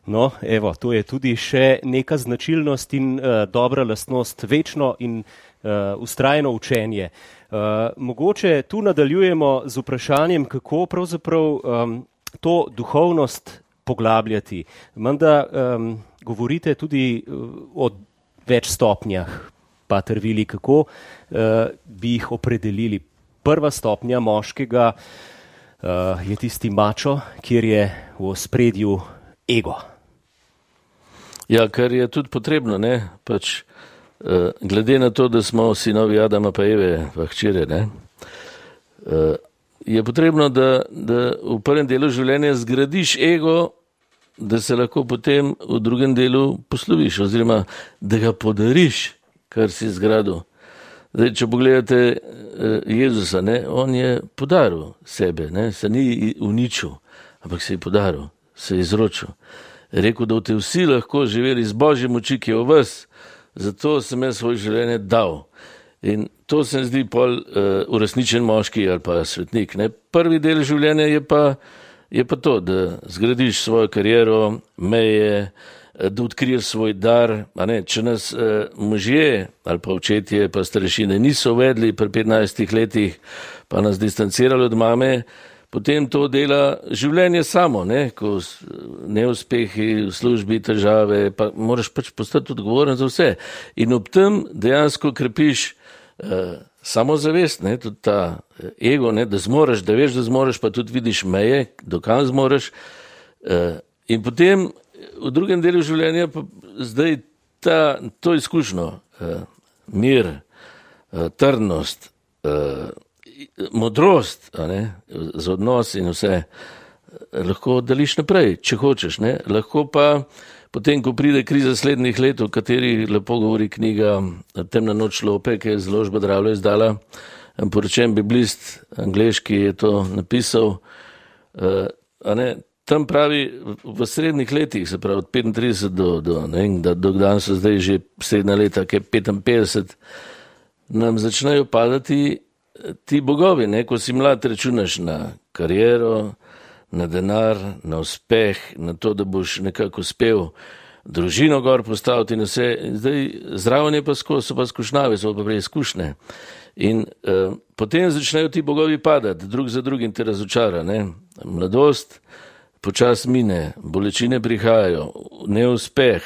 No, evo, to je tudi še neka značilnost in dobra lastnost, večno in vztrajno učenje. Mogoče tu nadaljujemo z vprašanjem, kako pravzaprav to duhovnost poglabljati. Menda govorite tudi o več stopnjah, pater Vili, kako bi jih opredelili. Prva stopnja moškega je tisti mačo, kjer je v ospredju ego. Ja, kar je tudi potrebno, ne, pač glede na to, da smo sinovi Adama pa Eve, pa hčere, ne, je potrebno, da v prvem delu življenja zgradiš ego, da se lahko potem v drugem delu posloviš, oziroma da ga podariš, kar si zgradil. Zdaj, če pogledate Jezusa, ne, on je podaril sebe, ne, se ni uničil, ampak se je podaril, se je izročil. Rekel, da boste vsi lahko živeli z Božje moči, ki je v vas, zato sem jaz svoje življenje dal. In to se zdi pol uresničen moški ali pa svetnik. Ne. Prvi del življenja je pa to, da zgradiš svojo kariero, meje, da odkriješ svoj dar. A ne, če nas možje ali pa očetje pa starešine niso uvedli pri 15 letih, pa nas distancirali od mame, potem to dela življenje samo, ne, ko neuspehi v službi, težave, pa moraš pač postati odgovoren za vse. In ob tem dejansko krepiš samozavest, ne, tudi ta ego, ne, da zmoreš, da veš, da zmoreš, pa tudi vidiš meje, dokam zmoreš. In potem v drugem delu življenja pa zdaj to izkušnjo, mir, trdnost, modrost, a ne, z odnos in vse, lahko deliš naprej, če hočeš, ne. Lahko pa potem, ko pride kriza slednjih let, o kateri lepo govori knjiga Temna noč lope, ki je založba Dravlja izdala, poročen biblist, angleški je to napisal, a ne, tam pravi, v srednjih letih, se pravi od 35 do danes so zdaj že srednja leta, ki je 55, nam začnejo padati ti bogovi, ne, ko si mlad računaš na kariero, na denar, na uspeh, na to, da boš nekako uspel družino gor postaviti in vse. Zdaj zraven je pa so pa skušnjave, so pa preizkušnje. In potem začnejo ti bogovi padati, drug za drugim te razočara, ne. Mladost počas mine, bolečine prihajajo, neuspeh,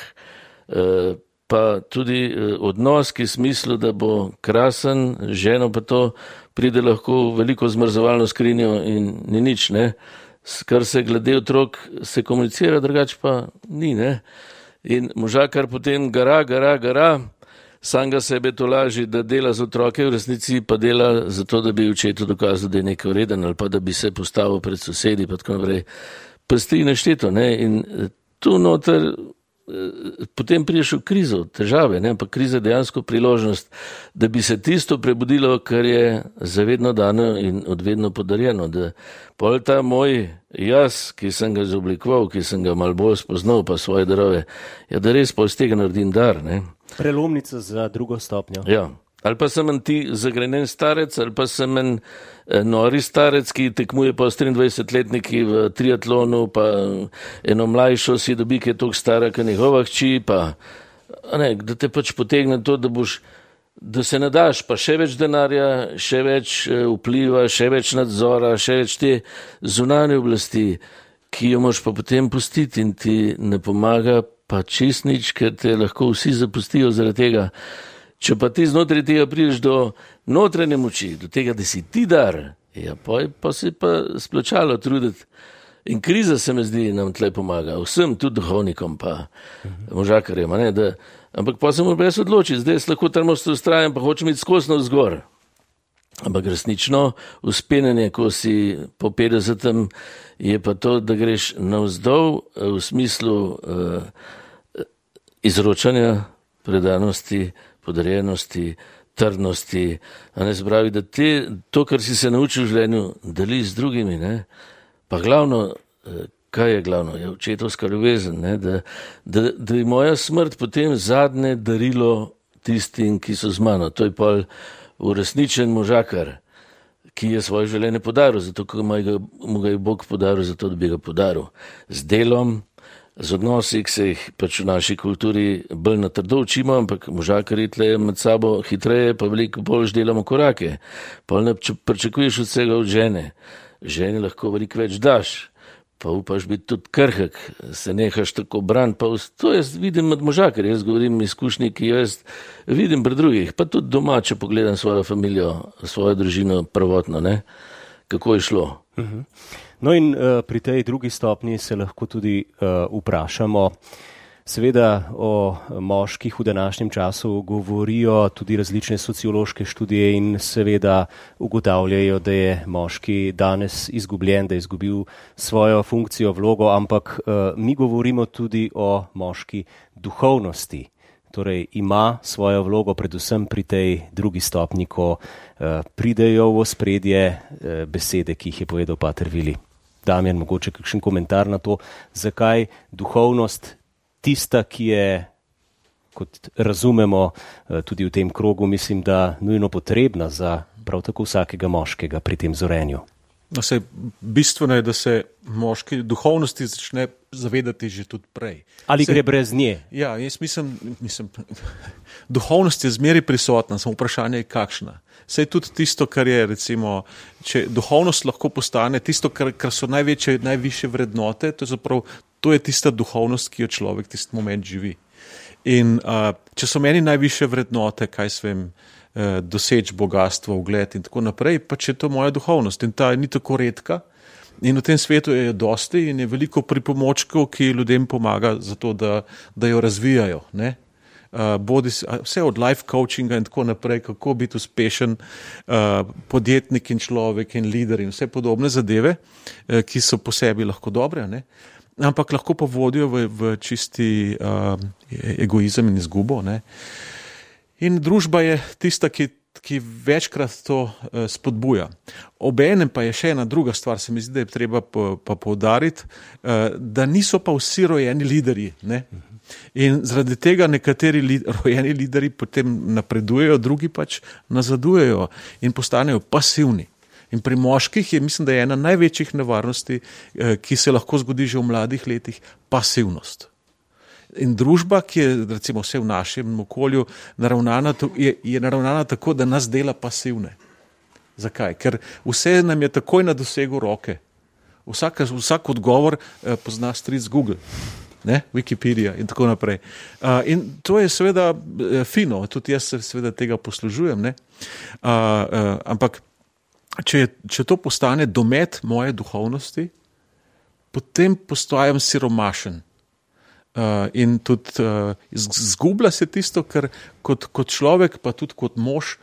pa tudi odnos, ki je smislu, da bo krasen, ženo pa to pride lahko veliko zmrzovalno skrinjo in ni nič, ne. Kar se glede otrok se komunicira, drugače pa ni, ne. In možakar potem gara, samega sebe to laži, da dela z otroke, v resnici pa dela zato, da bi očetu dokazal, da je nekaj vreden ali pa da bi se postavil pred sosedi, pa tako naprej. Prsti nešteto, ne, in tu noter potem priješ v krizo, težave, ne, ampak kriza je dejansko priložnost, da bi se tisto prebudilo, kar je zavedno dano in odvedno podarjeno, da pol ta moj jaz, ki sem ga izoblikoval, ki sem ga malo bolj spoznal, pa svoje darove, ja, da res pol z tega naredim dar, ne. Prelomnica za drugo stopnjo. Ja. Ali pa sem en ti zagrenen starec, ali pa sem en nori starec, ki tekmuje pa s 23-letniki v triatlonu, pa eno mlajšo si dobi, ki je toliko stara, kot njegova hči, pa ne, da te pač potegne to, da se nadaš, pa še več denarja, še več vpliva, še več nadzora, še več te zunanje oblasti, ki jo moš pa potem pustiti in ti ne pomaga pa čist nič, ker te lahko vsi zapustijo zaradi tega. Če pa ti znotraj tega prideš do notranje moči, do tega, da si ti dar, ja, pa si pa splačalo truditi. In kriza se mi zdi, nam tle pomaga, vsem, tudi duhovnikom, pa možakarjem, ne, da, ampak pa se moram brez odločiti, zdaj jaz lahko trmosto ustrajam, pa hočem iti skosno vzgor. Ampak resnično uspenjanje, ko si po 50, je pa to, da greš navzdol v smislu izročanja, predanosti, podarjenosti, trdnosti, a ne zbravi, da to, kar si se naučil v življenju, deli z drugimi, ne. Pa glavno, kaj je glavno, je očetovska ljubezen, ne, da je moja smrt potem zadnje darilo tistim, ki so z mano. To je pa uresničen možakar, ki je svoje življenje podaril, zato ker mu ga je Bog podaril, zato da bi ga podaril. Z delom, z odnosi, ki se jih pač v naši kulturi bolj na trdo učimo, ampak možakarji tle med sabo hitreje, pa veliko bolj delamo korake. Pa ne pričakuješ od vsega od žene. Ženi lahko veliko več daš, pa upaš biti tudi krhek, se nehaš tako braniti, pa to jaz vidim med možakarji, jaz govorim izkušnji, ki jaz vidim pri drugih, pa tudi doma, če pogledam svojo familijo, svojo družino prvotno, ne, kako je šlo. No in pri tej drugi stopnji se lahko tudi vprašamo, seveda o moških v današnjem času govorijo tudi različne sociološke študije in seveda ugotavljajo, da je moški danes izgubljen, da je izgubil svojo funkcijo, vlogo, ampak mi govorimo tudi o moški duhovnosti. Torej ima svojo vlogo predvsem pri tej drugi stopnji, ko pridejo v ospredje besede, ki jih je povedal pater Vili. Damjan, mogoče kakšen komentar na to, zakaj duhovnost tista, ki je, kot razumemo tudi v tem krogu, mislim, da nujno potrebna za prav tako vsakega moškega pri tem zorenju. No, bistveno je, da se moški duhovnosti začne zavedati že tudi prej. Ali gre brez nje? Ja, jaz mislim, duhovnost je zmeraj prisotna, samo vprašanje je kakšna. Saj tudi tisto, kar je, recimo, če duhovnost lahko postane tisto, kar so najvišje vrednote, to je tista duhovnost, ki jo človek tisti moment živi. In če so meni najvišje vrednote, kaj svem, doseči bogatstvo, ugled in tako naprej, pa če je to moja duhovnost in ta ni tako redka in v tem svetu je dosti in je veliko pripomočkov, ki ljudem pomaga za to, da jo razvijajo, ne. Vse od life coachinga in tako naprej, kako biti uspešen podjetnik in človek in lider in vse podobne zadeve, ki so po sebi lahko dobre, ne. Ampak lahko pa vodijo v čisti egoizem in izgubo, ne. In družba je tista, ki večkrat to spodbuja. Obenem pa je še ena druga stvar, se mi zdi, da je treba pa poudariti, da niso pa vsi rojeni liderji, ne. In zaradi tega nekateri rojeni lideri potem napredujejo, drugi pač nazadujejo in postanejo pasivni. In pri moških je, mislim, da je ena največjih nevarnosti, ki se lahko zgodi že v mladih letih, pasivnost. In družba, ki je recimo vse v našem okolju je naravnana tako, da nas dela pasivne. Zakaj? Ker vse nam je takoj na dosegu roke. Vsak odgovor pozna stric Google, ne? Wikipedia in tako naprej. In to je seveda fino, tudi jaz se seveda tega poslužujem, ne? Ampak če to postane domet moje duhovnosti, potem postajam siromašen. in tudi zgublja se tisto, kar kot človek, pa tudi kot mož,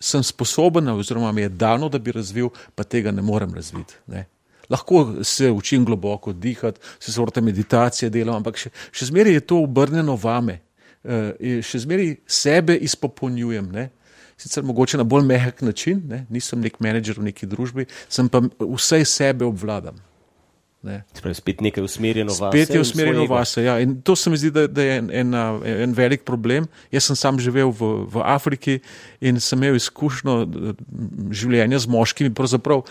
sem sposoben, oziroma mi je dano, da bi razvil, pa tega ne morem razviti. Ne. Lahko se učim globoko dihati, se sorte meditacije delam, ampak še zmeraj je to obrnjeno vame. Še zmeraj sebe izpopolnjujem. Ne. Sicer mogoče na bolj mehak način, ne. Nisem nek menedžer v neki družbi, sem pa vsej sebe obvladam. Spet nekaj usmerjeno vase. Spet je usmerjeno vase, ja. In to se mi zdi, da je en velik problem. Jaz sem sam živel v Afriki in sem imel izkušnjo življenja z moškimi, pravzaprav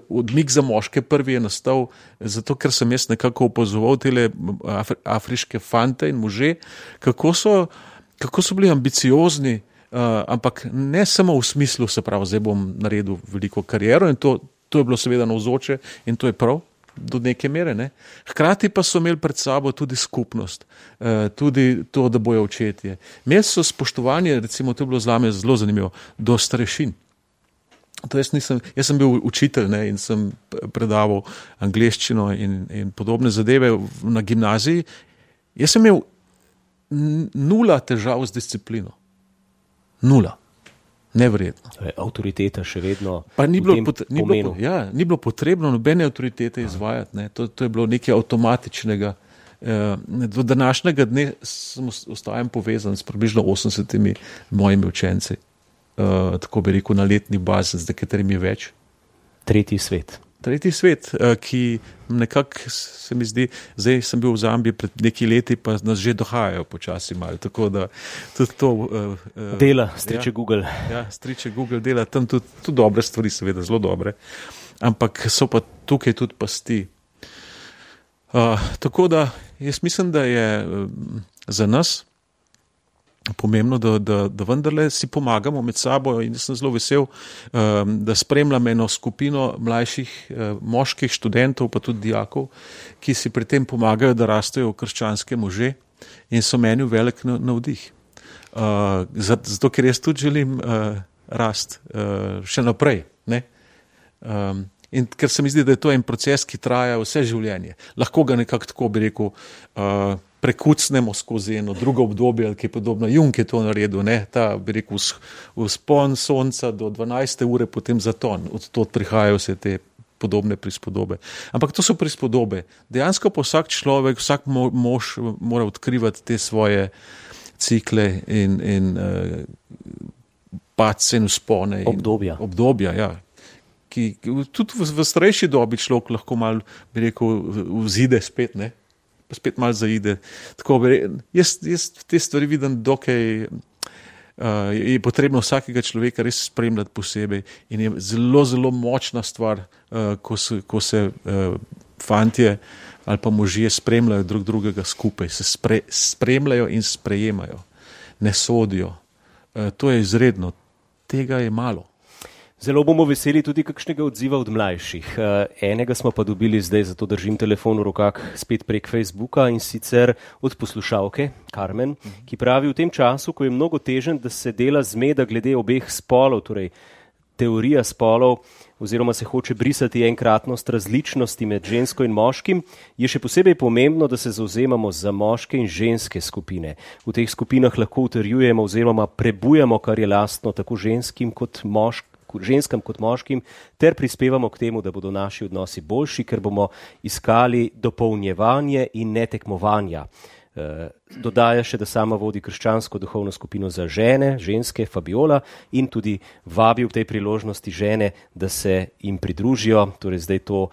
odmik za moške prvi je nastal, zato ker sem jaz nekako opazoval tele afriške fante in može, kako so bili ambiciozni, ampak ne samo v smislu, se pravi, zdaj bom naredil veliko kariero in to je bilo seveda navzoče in to je prav do neke mere, ne. Hkrati pa so imeli pred sabo tudi skupnost, tudi to, da bojo očetje. Imeli so spoštovanje, recimo, to je bilo zame zelo zanimivo, do starešin. To jaz sem bil učitelj, ne, in sem predaval angleščino in podobne zadeve na gimnaziji. Jaz sem imel 0 težav z disciplino. 0. Neverjetno. Avtoriteta še vedno pa ni bilo potrebno nobene avtoritete izvajati. Ne. To je bilo nekaj avtomatičnega. Do današnjega dne ostajam povezan s približno 80 mojimi učenci. Tako bi rekel, na letni bazi, z nekaterimi več. Tretji svet, ki nekako se mi zdi, zdaj sem bil v Zambiji pred nekaj leti, pa nas že dohajajo počasi malo, tako da tudi to... dela, striče Google. Ja, striče Google dela, tam tudi dobre stvari, seveda, zelo dobre, ampak so pa tukaj tudi pasti. Tako da jaz mislim, da je za nas pomembno, da vendarle si pomagamo med sabo in sem zelo vesel, da spremljam eno skupino mlajših moških študentov, pa tudi dijakov, ki si pri tem pomagajo, da rastejo krščanske može in so meni velik navdih. Zato, ker jaz tudi želim rast še naprej. Ne? In ker se mi zdi, da je to en proces, ki traja vse življenje. Lahko ga nekako tako bi rekel, prekucnemo skozi eno drugo obdobje, ali kaj podobno. Jung je to naredil, ne? Ta bi rekel vzpon sonca do 12. ure, potem zaton. Od tod prihajajo vse te podobne prispodobe. Ampak to so prispodobe. Dejansko pa vsak človek, vsak mož mora odkrivati te svoje cikle in padce in vzpone. Obdobja, ja. Ki tudi v starejši dobi človek lahko malo, bi rekel, vzide spet, ne? Pa spet malo zaide. Tako, jaz te stvari vidim, dokaj je potrebno vsakega človeka res spremljati posebej in je zelo, zelo močna stvar, ko se fantje ali pa možje spremljajo drug drugega skupaj, se spremljajo in sprejemajo, ne sodijo. To je izredno, tega je malo. Zelo bomo veseli tudi kakšnega odziva od mlajših. Enega smo pa dobili zdaj, zato držim telefon v rokah spet prek Facebooka, in sicer od poslušalke Carmen, ki pravi: v tem času, ko je mnogo težen, da se dela zmeda glede obeh spolov, torej teorija spolov, oziroma se hoče brisati enkratnost različnosti med žensko in moškim, je še posebej pomembno, da se zavzemamo za moške in ženske skupine. V teh skupinah lahko utrjujemo oziroma prebujamo, kar je lastno tako ženskam kot moškim, ter prispevamo k temu, da bodo naši odnosi boljši, ker bomo iskali dopolnjevanje in ne tekmovanja. Dodaja še, da sama vodi krščansko duhovno skupino za žene, ženske, Fabiola, in tudi vabi v tej priložnosti žene, da se jim pridružijo. Torej zdaj to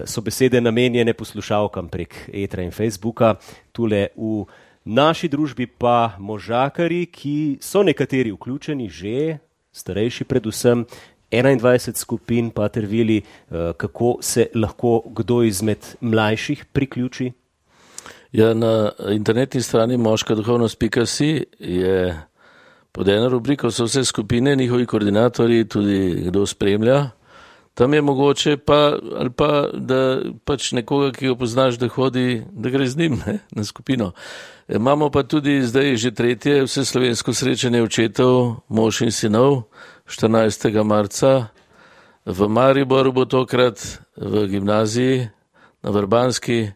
so besede namenjene poslušalkam prek etra in Facebooka. Tule v naši družbi pa možakarji, ki so nekateri vključeni že, starejši predvsem, 21 skupin, Pater Vili, kako se lahko kdo izmed mlajših priključi? Ja, na internetni strani moškaduhovnost.si je pod eno rubriko so vse skupine, njihovi koordinatorji, tudi kdo spremlja. Tam je mogoče ali pa, da pač nekoga, ki ga poznaš, da hodi, da gre z njim, ne, na skupino. Imamo pa tudi zdaj že 3. vseslovensko srečanje očetov, mož in sinov, 14. marca. V Mariboru bo tokrat v gimnaziji na Vrbanski.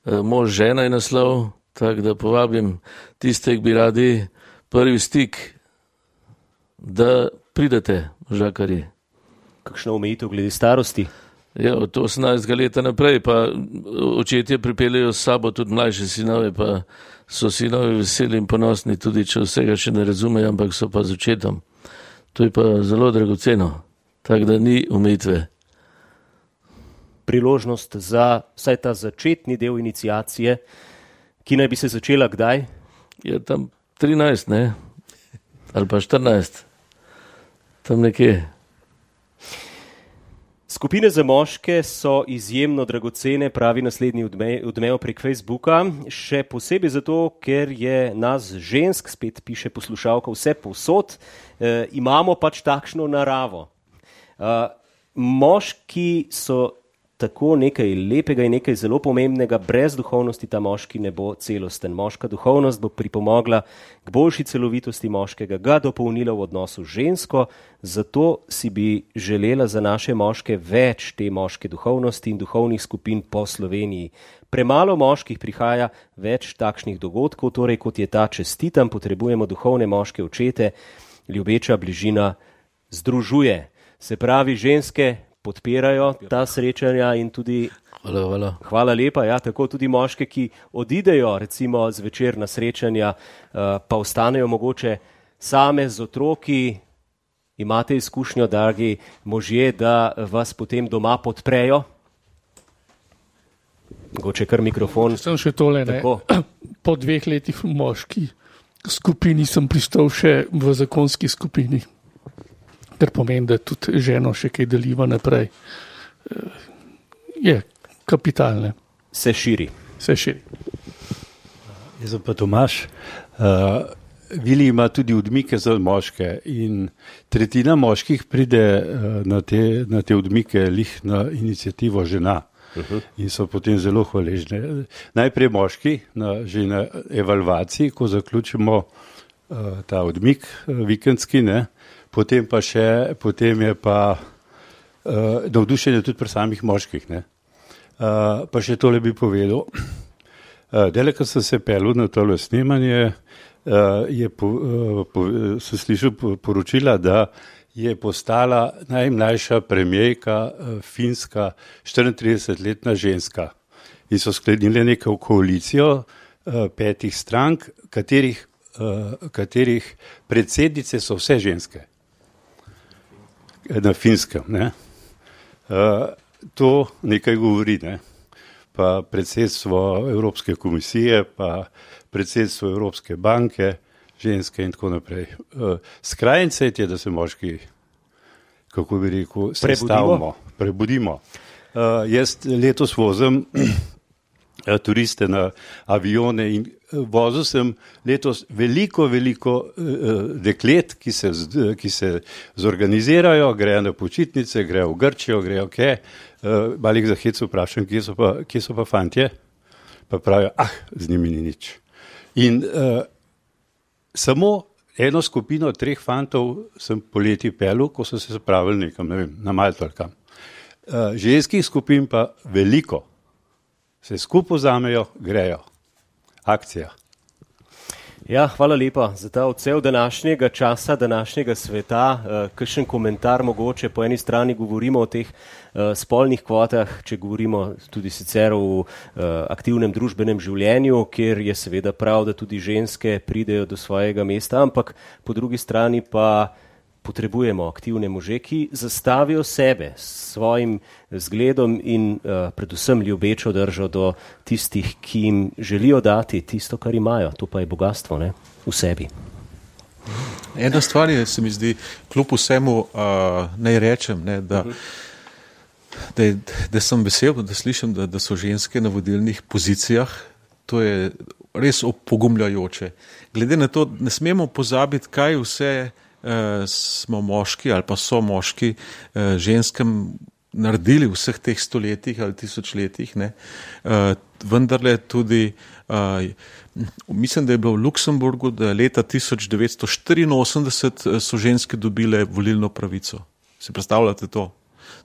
Mož žena je naslov, tako da povabim tiste, ki bi radi prvi stik, da pridete, možakarji. Kakšna omejitev glede starosti? Ja, od 18 leta naprej, pa očetje pripeljejo s sabo tudi mlajše sinove, pa so sinovi veseli in ponosni, tudi če vsega še ne razumejo, ampak so pa z očetom. To je pa zelo dragoceno, tako da ni omejitve. Priložnost za vsaj ta začetni del iniciacije, ki naj bi se začela kdaj? Je tam 13, ne? Ali pa 14. Tam nekje. Skupine za moške so izjemno dragocene, pravi naslednji Odmev prek Facebooka, še posebej zato, ker je nas žensk, spet piše poslušalka, vse povsod, imamo pač takšno naravo. Moški so tako nekaj lepega in nekaj zelo pomembnega, brez duhovnosti ta moški ne bo celosten. Moška duhovnost bo pripomogla k boljši celovitosti moškega, ga dopolnila v odnosu z žensko, zato si bi želela za naše moške več te moške duhovnosti in duhovnih skupin po Sloveniji. Premalo moških prihaja, več takšnih dogodkov, torej kot je ta čestitam, potrebujemo duhovne moške očete, ljubeča bližina združuje. Se pravi, ženske podpirajo ta srečanja in tudi hvala lepa, ja, tako tudi moške, ki odidejo recimo zvečer na srečanja, pa ostanejo mogoče same z otroki. Imate izkušnjo, dragi možje, da vas potem doma podprejo? Mogoče kar mikrofon. Sem še tole, ne. Po 2 letih v moški skupini sem pristal še v zakonski skupini. Ker pomeni, da tudi ženo še kaj deliva naprej. Je kapitalne. Se širi. Jaz sem pa Tomaž. Vili ima tudi odmike za moške in tretjina moških pride na te odmike lih na iniciativo žena. In so potem zelo hvaležne. Najprej moški, že na evalvaciji, ko zaključimo ta odmik vikendski, ne, potem je pa navdušenje tudi pri samih moških. Ne. Pa še tole bi povedal. Dele, ko sem se pelil na tole snemanje, sem slišal poročila, da je postala najmlajša premijerka Finska 34-letna ženska. In so sklenili neko koalicijo 5 strank, katerih predsednice so vse ženske na Finskem. Ne? To nekaj govori, ne? Pa predsedstvo Evropske komisije, pa predsedstvo Evropske banke, ženske in tako naprej. Skrajni cajt je, da se moški, kako bi rekel, prebudimo. Jaz letos vozim turiste na avione in vozil sem letos veliko deklet, ki se zorganizirajo, grejo na počitnice, grejo v Grčijo, grejo kje. Malih za hec vprašam, kje so pa fantje? Pa pravijo, z njimi ni nič. In samo eno skupino 3 fantov sem poleti pelil, ko so se spravili nekam, ne vem, na Malto ali kam. Ženskih skupin pa veliko. Se skupaj vzamejo, grejo. Akcija. Ja, hvala lepa za ta odsev današnjega časa, današnjega sveta. Kakšen komentar mogoče? Po eni strani govorimo o teh spolnih kvotah, če govorimo tudi sicer o aktivnem družbenem življenju, kjer je seveda prav, da tudi ženske pridejo do svojega mesta, ampak po drugi strani pa potrebujemo aktivne može, ki zastavijo sebe s svojim zgledom in predvsem ljubečo držo do tistih, ki jim želijo dati tisto, kar imajo. To pa je bogatstvo, ne? V sebi. Ena stvar je, se mi zdi, kljub vsemu naj rečem, ne, da sem vesel, da slišim, da so ženske na vodilnih pozicijah. To je res opogumljajoče. Glede na to, ne smemo pozabiti, kaj vse smo moški ali pa so moški ženskem naredili v vseh teh stoletjih ali tisočletjih. Vendarle tudi, mislim, da je bilo v Luksemburgu, da leta 1984 so ženske dobile volilno pravico. Si predstavljate to?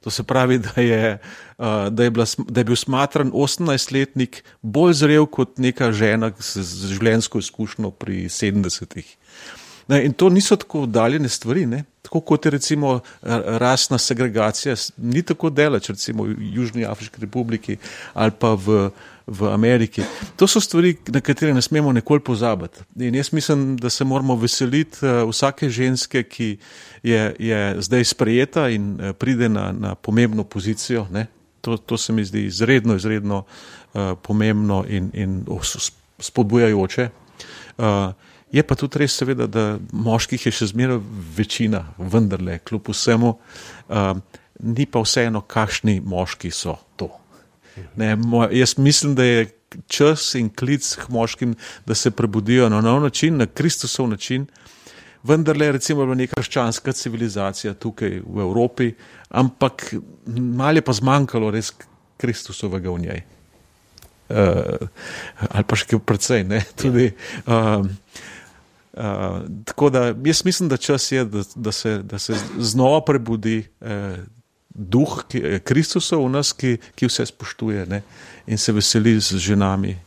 To se pravi, da je bil smatran 18-letnik bolj zrel kot neka žena z življenjsko izkušnjo pri 70-ih. In to niso tako oddaljene stvari, ne? Tako kot je recimo rasna segregacija, ni tako daleč, recimo v Južni Afriški republiki ali pa v Ameriki. To so stvari, na katere ne smemo nikoli pozabiti. In jaz mislim, da se moramo veseliti vsake ženske, ki je zdaj sprejeta in pride na pomembno pozicijo. Ne? To se mi zdi izredno pomembno in spodbujajoče. Je pa tudi res seveda, da moških je še zmeraj večina, vendarle, kljub vsemu, ni pa vseeno, kakšni moški so to. Ne, jaz mislim, da je čas in klic k moškim, da se prebudijo na nov način, na Kristusov način, vendarle recimo neka krščanska civilizacija tukaj v Evropi, ampak malo je pa zmanjkalo res Kristusovega v njej. Ali pa še precej, ne, tudi... tako da jaz mislim, da čas je, da se znova prebudi duh Kristusov v nas, ki vse spoštuje, ne, in se veseli z ženami.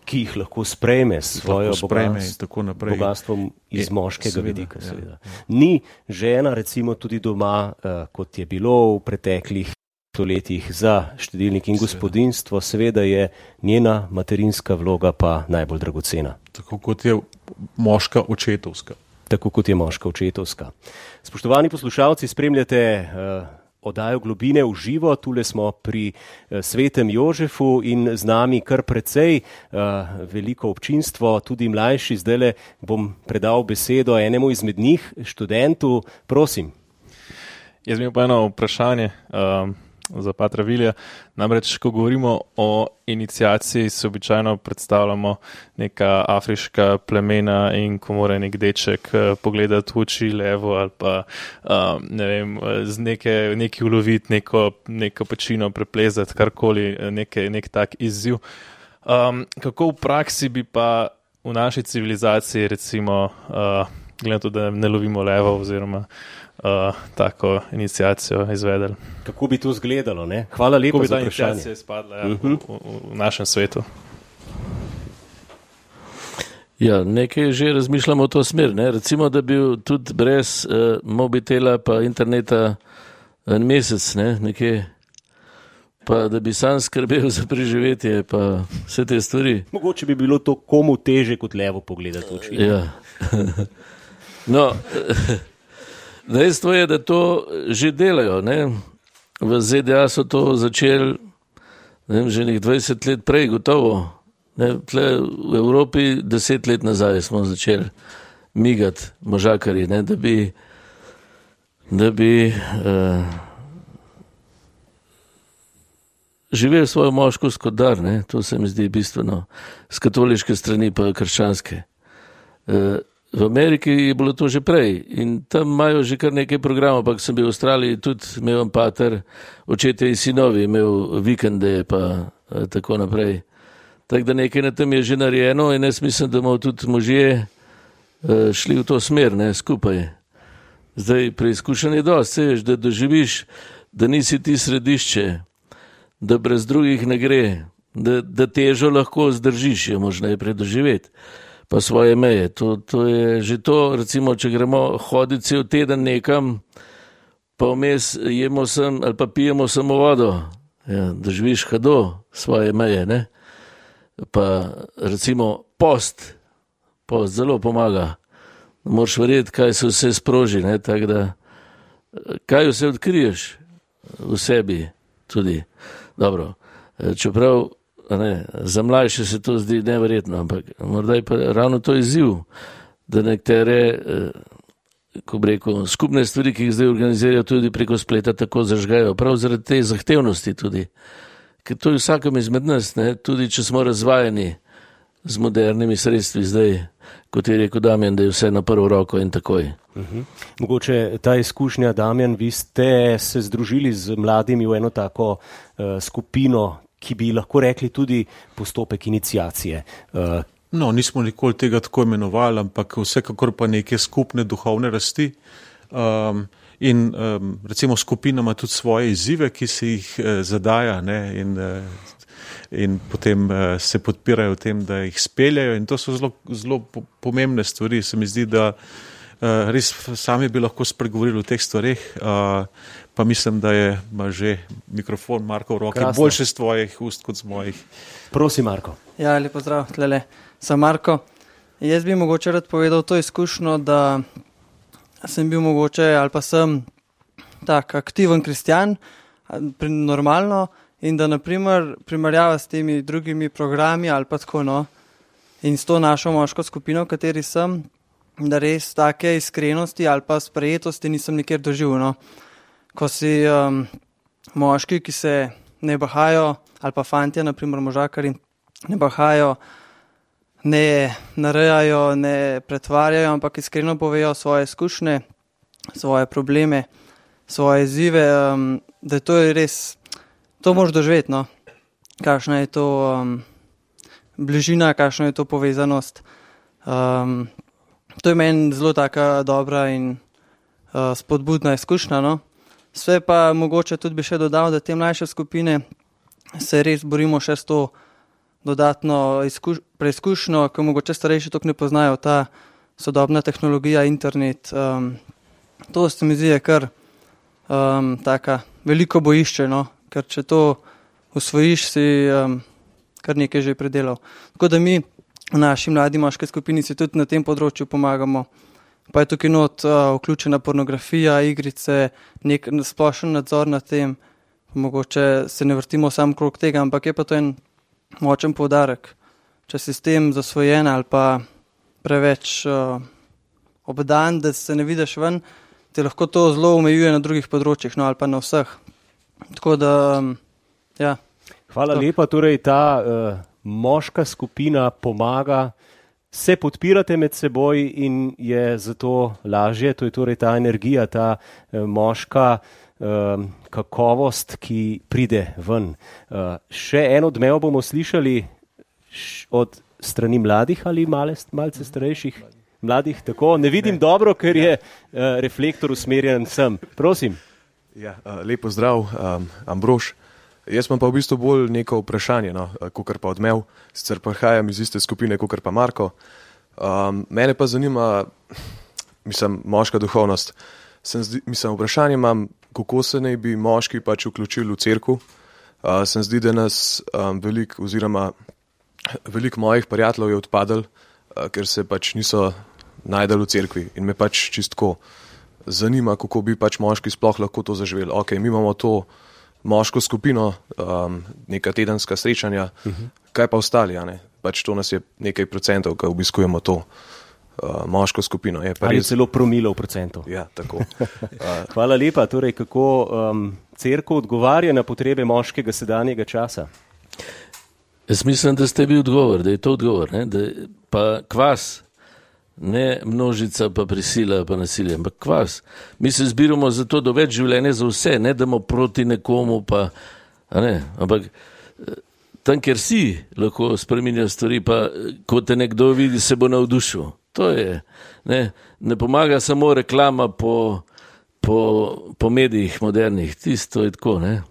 Ki jih lahko sprejme s svojo bogatstvom iz moškega vidika. Seveda. Ni žena recimo tudi doma, kot je bilo v preteklih stoletjih za štedilnik in gospodinjstvo, seveda je njena materinska vloga pa najbolj dragocena. Tako kot je moška očetovska. Tako kot je moška očetovska. Spoštovani poslušalci, spremljate oddajo Globine v živo, tule smo pri Svetem Jožefu in z nami kar precej veliko občinstvo, tudi mlajši. Zdajle bom predal besedo enemu izmed njih, študentu, prosim. Jaz imam pa eno vprašanje za patra Vilija. Namreč, ko govorimo o iniciaciji, se običajno predstavljamo neka afriška plemena in ko mora nek deček pogledati v oči levo ali pa ne vem, z neki uloviti neko pečino preplezati, karkoli, nek tak izziv. Kako v praksi bi pa v naši civilizaciji recimo, glede na to, da ne lovimo levo oziroma tako iniciacijo izvedeli. Kako bi to izgledalo, ne? Hvala lepa za vprašanje. Kako bi ta iniciacija izpadla v našem svetu? Ja, nekaj že razmišljamo v to smer, ne? Recimo, da bi tudi brez mobitela pa interneta en mesec, ne? Nekje, pa da bi sam skrbel za preživetje pa vse te stvari. Mogoče bi bilo to komu teže kot levo pogledati v oči. Ja. No, dejstvo je, da to že delajo, ne? V ZDA so to začeli, ne vem, že 20 let prej, gotovo. Ne? Tle v Evropi 10 let nazaj smo začeli migati možakarji, ne? Da bi živeli svojo moškost kot dar, ne? To se mi zdi bistveno, z katoliške strani pa krščanske. V Ameriki je bilo to že prej in tam imajo že kar nekaj programov, ampak sem bil v Avstraliji tudi, imel pater, očetje in sinovi, imel vikende pa tako naprej. Tako da nekaj na tem je že narejeno in jaz mislim, da bomo tudi možje šli v to smer, ne, skupaj. Zdaj, preizkušen je dosti, seješ, da doživiš, da nisi ti središče, da brez drugih ne gre, da težo lahko zdržiš, je možno najprej doživeti. Pa svoje meje. To je že to, recimo, če gremo hoditi cel teden nekam, pa vmes jemo sem ali pa pijemo samo vodo, ja, da živiš hado svoje meje, ne? Pa recimo post zelo pomaga. Moraš verjeti, kaj se vse sproži, ne? Tako da, kaj vse odkriješ v sebi tudi. Dobro, čeprav ne, za mlajše se to zdi neverjetno, ampak morda je pa ravno to izziv, da nekatere, ko bi rekel, skupne stvari, ki jih zdaj organizirajo tudi preko spleta, tako zažgajo, prav zaradi te zahtevnosti tudi. Ker to je vsakem izmed nas, ne, tudi če smo razvajeni z modernimi sredstvi zdaj, kot je rekel Damjan, da je vse na prvo roko in takoj. Mogoče ta izkušnja, Damjan, vi ste se združili z mladimi v eno tako skupino, ki bi lahko rekli tudi postopek iniciacije. No, nismo nikoli tega tako imenovali, ampak vsekakor pa neke skupne duhovne rasti. In recimo skupina ima tudi svoje izzive, ki se jih zadaja, ne, in potem se podpirajo v tem, da jih speljajo, in to so zelo pomembne stvari. Se mi zdi, da res sami bi lahko spregovorili o teh stvareh, pa mislim, da ima že mikrofon Marko v roki. Krasno. Boljše z tvojih ust kot z mojih. Prosim, Marko. Ja, lepo zdrav, tlele. Sem Marko. Jaz bi mogoče rad povedal to izkušnjo, da sem bil mogoče ali pa sem tak aktiven kristjan, normalno, in da naprimer primerjava s temi drugimi programi ali pa tako, no, in s to našo moško skupino, v kateri sem, da res take iskrenosti ali pa sprejetosti nisem nikjer doživel, no. Ko si moški, ki se ne bahajo, ali pa fantje, naprimer možakari, ne bahajo, ne narejajo, ne pretvarjajo, ampak iskreno povejo svoje izkušnje, svoje probleme, svoje izzive, da to je res, to moraš doživeti, no. Kakšna je to bližina, kakšna je to povezanost. To je meni zelo taka dobra in spodbudna izkušnja, no. Sve pa mogoče tudi bi še dodal, da te mlajše skupine se res borimo še s to dodatno preizkušnjo, ko mogoče starejši toliko ne poznajo ta sodobna tehnologija, internet. To se mi zdi kar taka veliko bojišče, no, ker če to usvojiš, si kar nekaj že predelal. Tako da mi v naši mladi moški skupini si tudi na tem področju pomagamo. Pa je tukaj not vključena pornografija, igrice, nek splošen nadzor nad tem, mogoče se ne vrtimo sam krog tega, ampak je pa to en močen poudarek. Če si s tem zasvojen ali pa preveč obdan, da se ne vidiš ven, te lahko to zelo omejuje na drugih področjih, no, ali pa na vseh. Tako da, ja. Hvala lepa, torej ta moška skupina pomaga, se podpirate med seboj in je zato lažje, to je torej ta energija, ta moška kakovost, ki pride ven. Še en odmev bomo slišali od strani mladih ali malce starejših? Mladih, tako. Ne vidim dobro, ker je reflektor usmerjen sem. Prosim. Ja, lepo zdrav, Ambrož. Jaz imam pa v bistvu bolj neko vprašanje, no, kakor pa odmev. Sicer prihajam iz iste skupine, kakor pa Marko. Mene pa zanima, moška duhovnost. Vprašanje imam, kako se naj bi moški pač vključili v cerkev. Se zdi, da nas veliko mojih prijateljev je odpadlo, ker se pač niso najdali v cerkvi. In me pač čistko zanima, kako bi pač moški sploh lahko to zaživeli. Ok, mi imamo to moško skupino, neka tedenska srečanja, kaj pa ostali, a ne? Pač to nas je nekaj procentov, ki obiskujemo to moško skupino. Je pa ali res... celo promilov procentov. Ja, tako. Hvala lepa. Torej, kako cerkev odgovarja na potrebe moškega sedanjega časa? Jaz mislim, da ste bil odgovor, da je to odgovor, ne? Da pa kvas, ne množica, pa prisila, pa nasilje, ampak kvas. Mi se zbiramo zato do več življenja za vse, ne damo proti nekomu, pa, a ne, ampak tam, kjer si, lahko spreminja stvari, pa ko te nekdo vidi, se bo navdušil. To je, ne pomaga samo reklama po medijih modernih, tisto je tako, ne.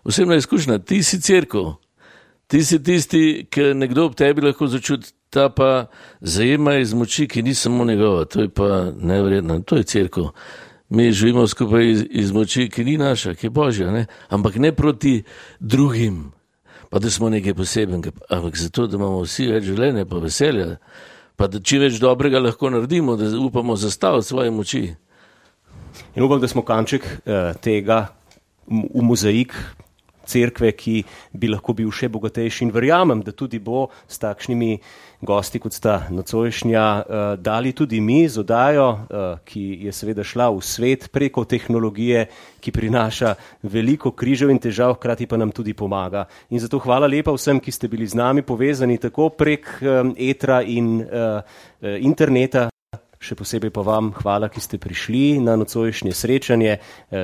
Osebna izkušnja, ti si cerkev, ti si tisti, ki nekdo ob tebi lahko začuti, ta pa zajema iz moči, ki ni samo njegova, to je pa neverjetno, to je cerkev. Mi živimo skupaj iz moči, ki ni naša, ki je Božja, ne? Ampak ne proti drugim, pa da smo nekaj posebenega, ampak zato, da imamo vsi več življenja, pa veselja, pa da čim več dobrega lahko naredimo, da upamo zastaviti svoje moči. In upam, da smo kanček tega v mozaik cerkve, ki bi lahko bil še bogatejši, in verjamem, da tudi bo s takšnimi gosti, kot sta nocojšnja, dali tudi mi z oddajo, ki je seveda šla v svet preko tehnologije, ki prinaša veliko križev in težav, hkrati pa nam tudi pomaga. In zato hvala lepa vsem, ki ste bili z nami povezani tako prek etra in interneta, še posebej pa vam hvala, ki ste prišli na nocojšnje srečanje,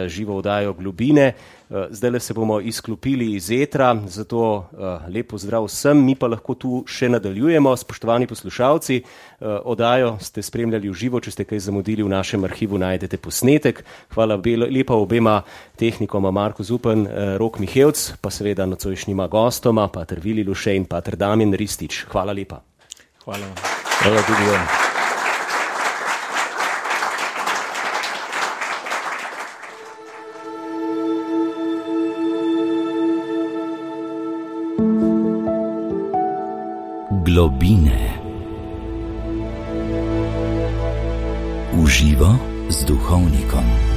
živo oddajo Globine. Zdaj se bomo izklopili iz etra, zato lep pozdrav vsem, mi pa lahko tu še nadaljujemo. Spoštovani poslušalci, oddajo ste spremljali v živo, če ste kaj zamudili, v našem arhivu najdete posnetek. Hvala lepa obema tehnikoma, Marko Zupan, Rok Mihevc, pa seveda nocojšnjima gostoma, pater Vili Luše in pater Damjan Ristič. Hvala lepa. Hvala. Hvala tudi vam. Globine. Uživo z duhovnikom.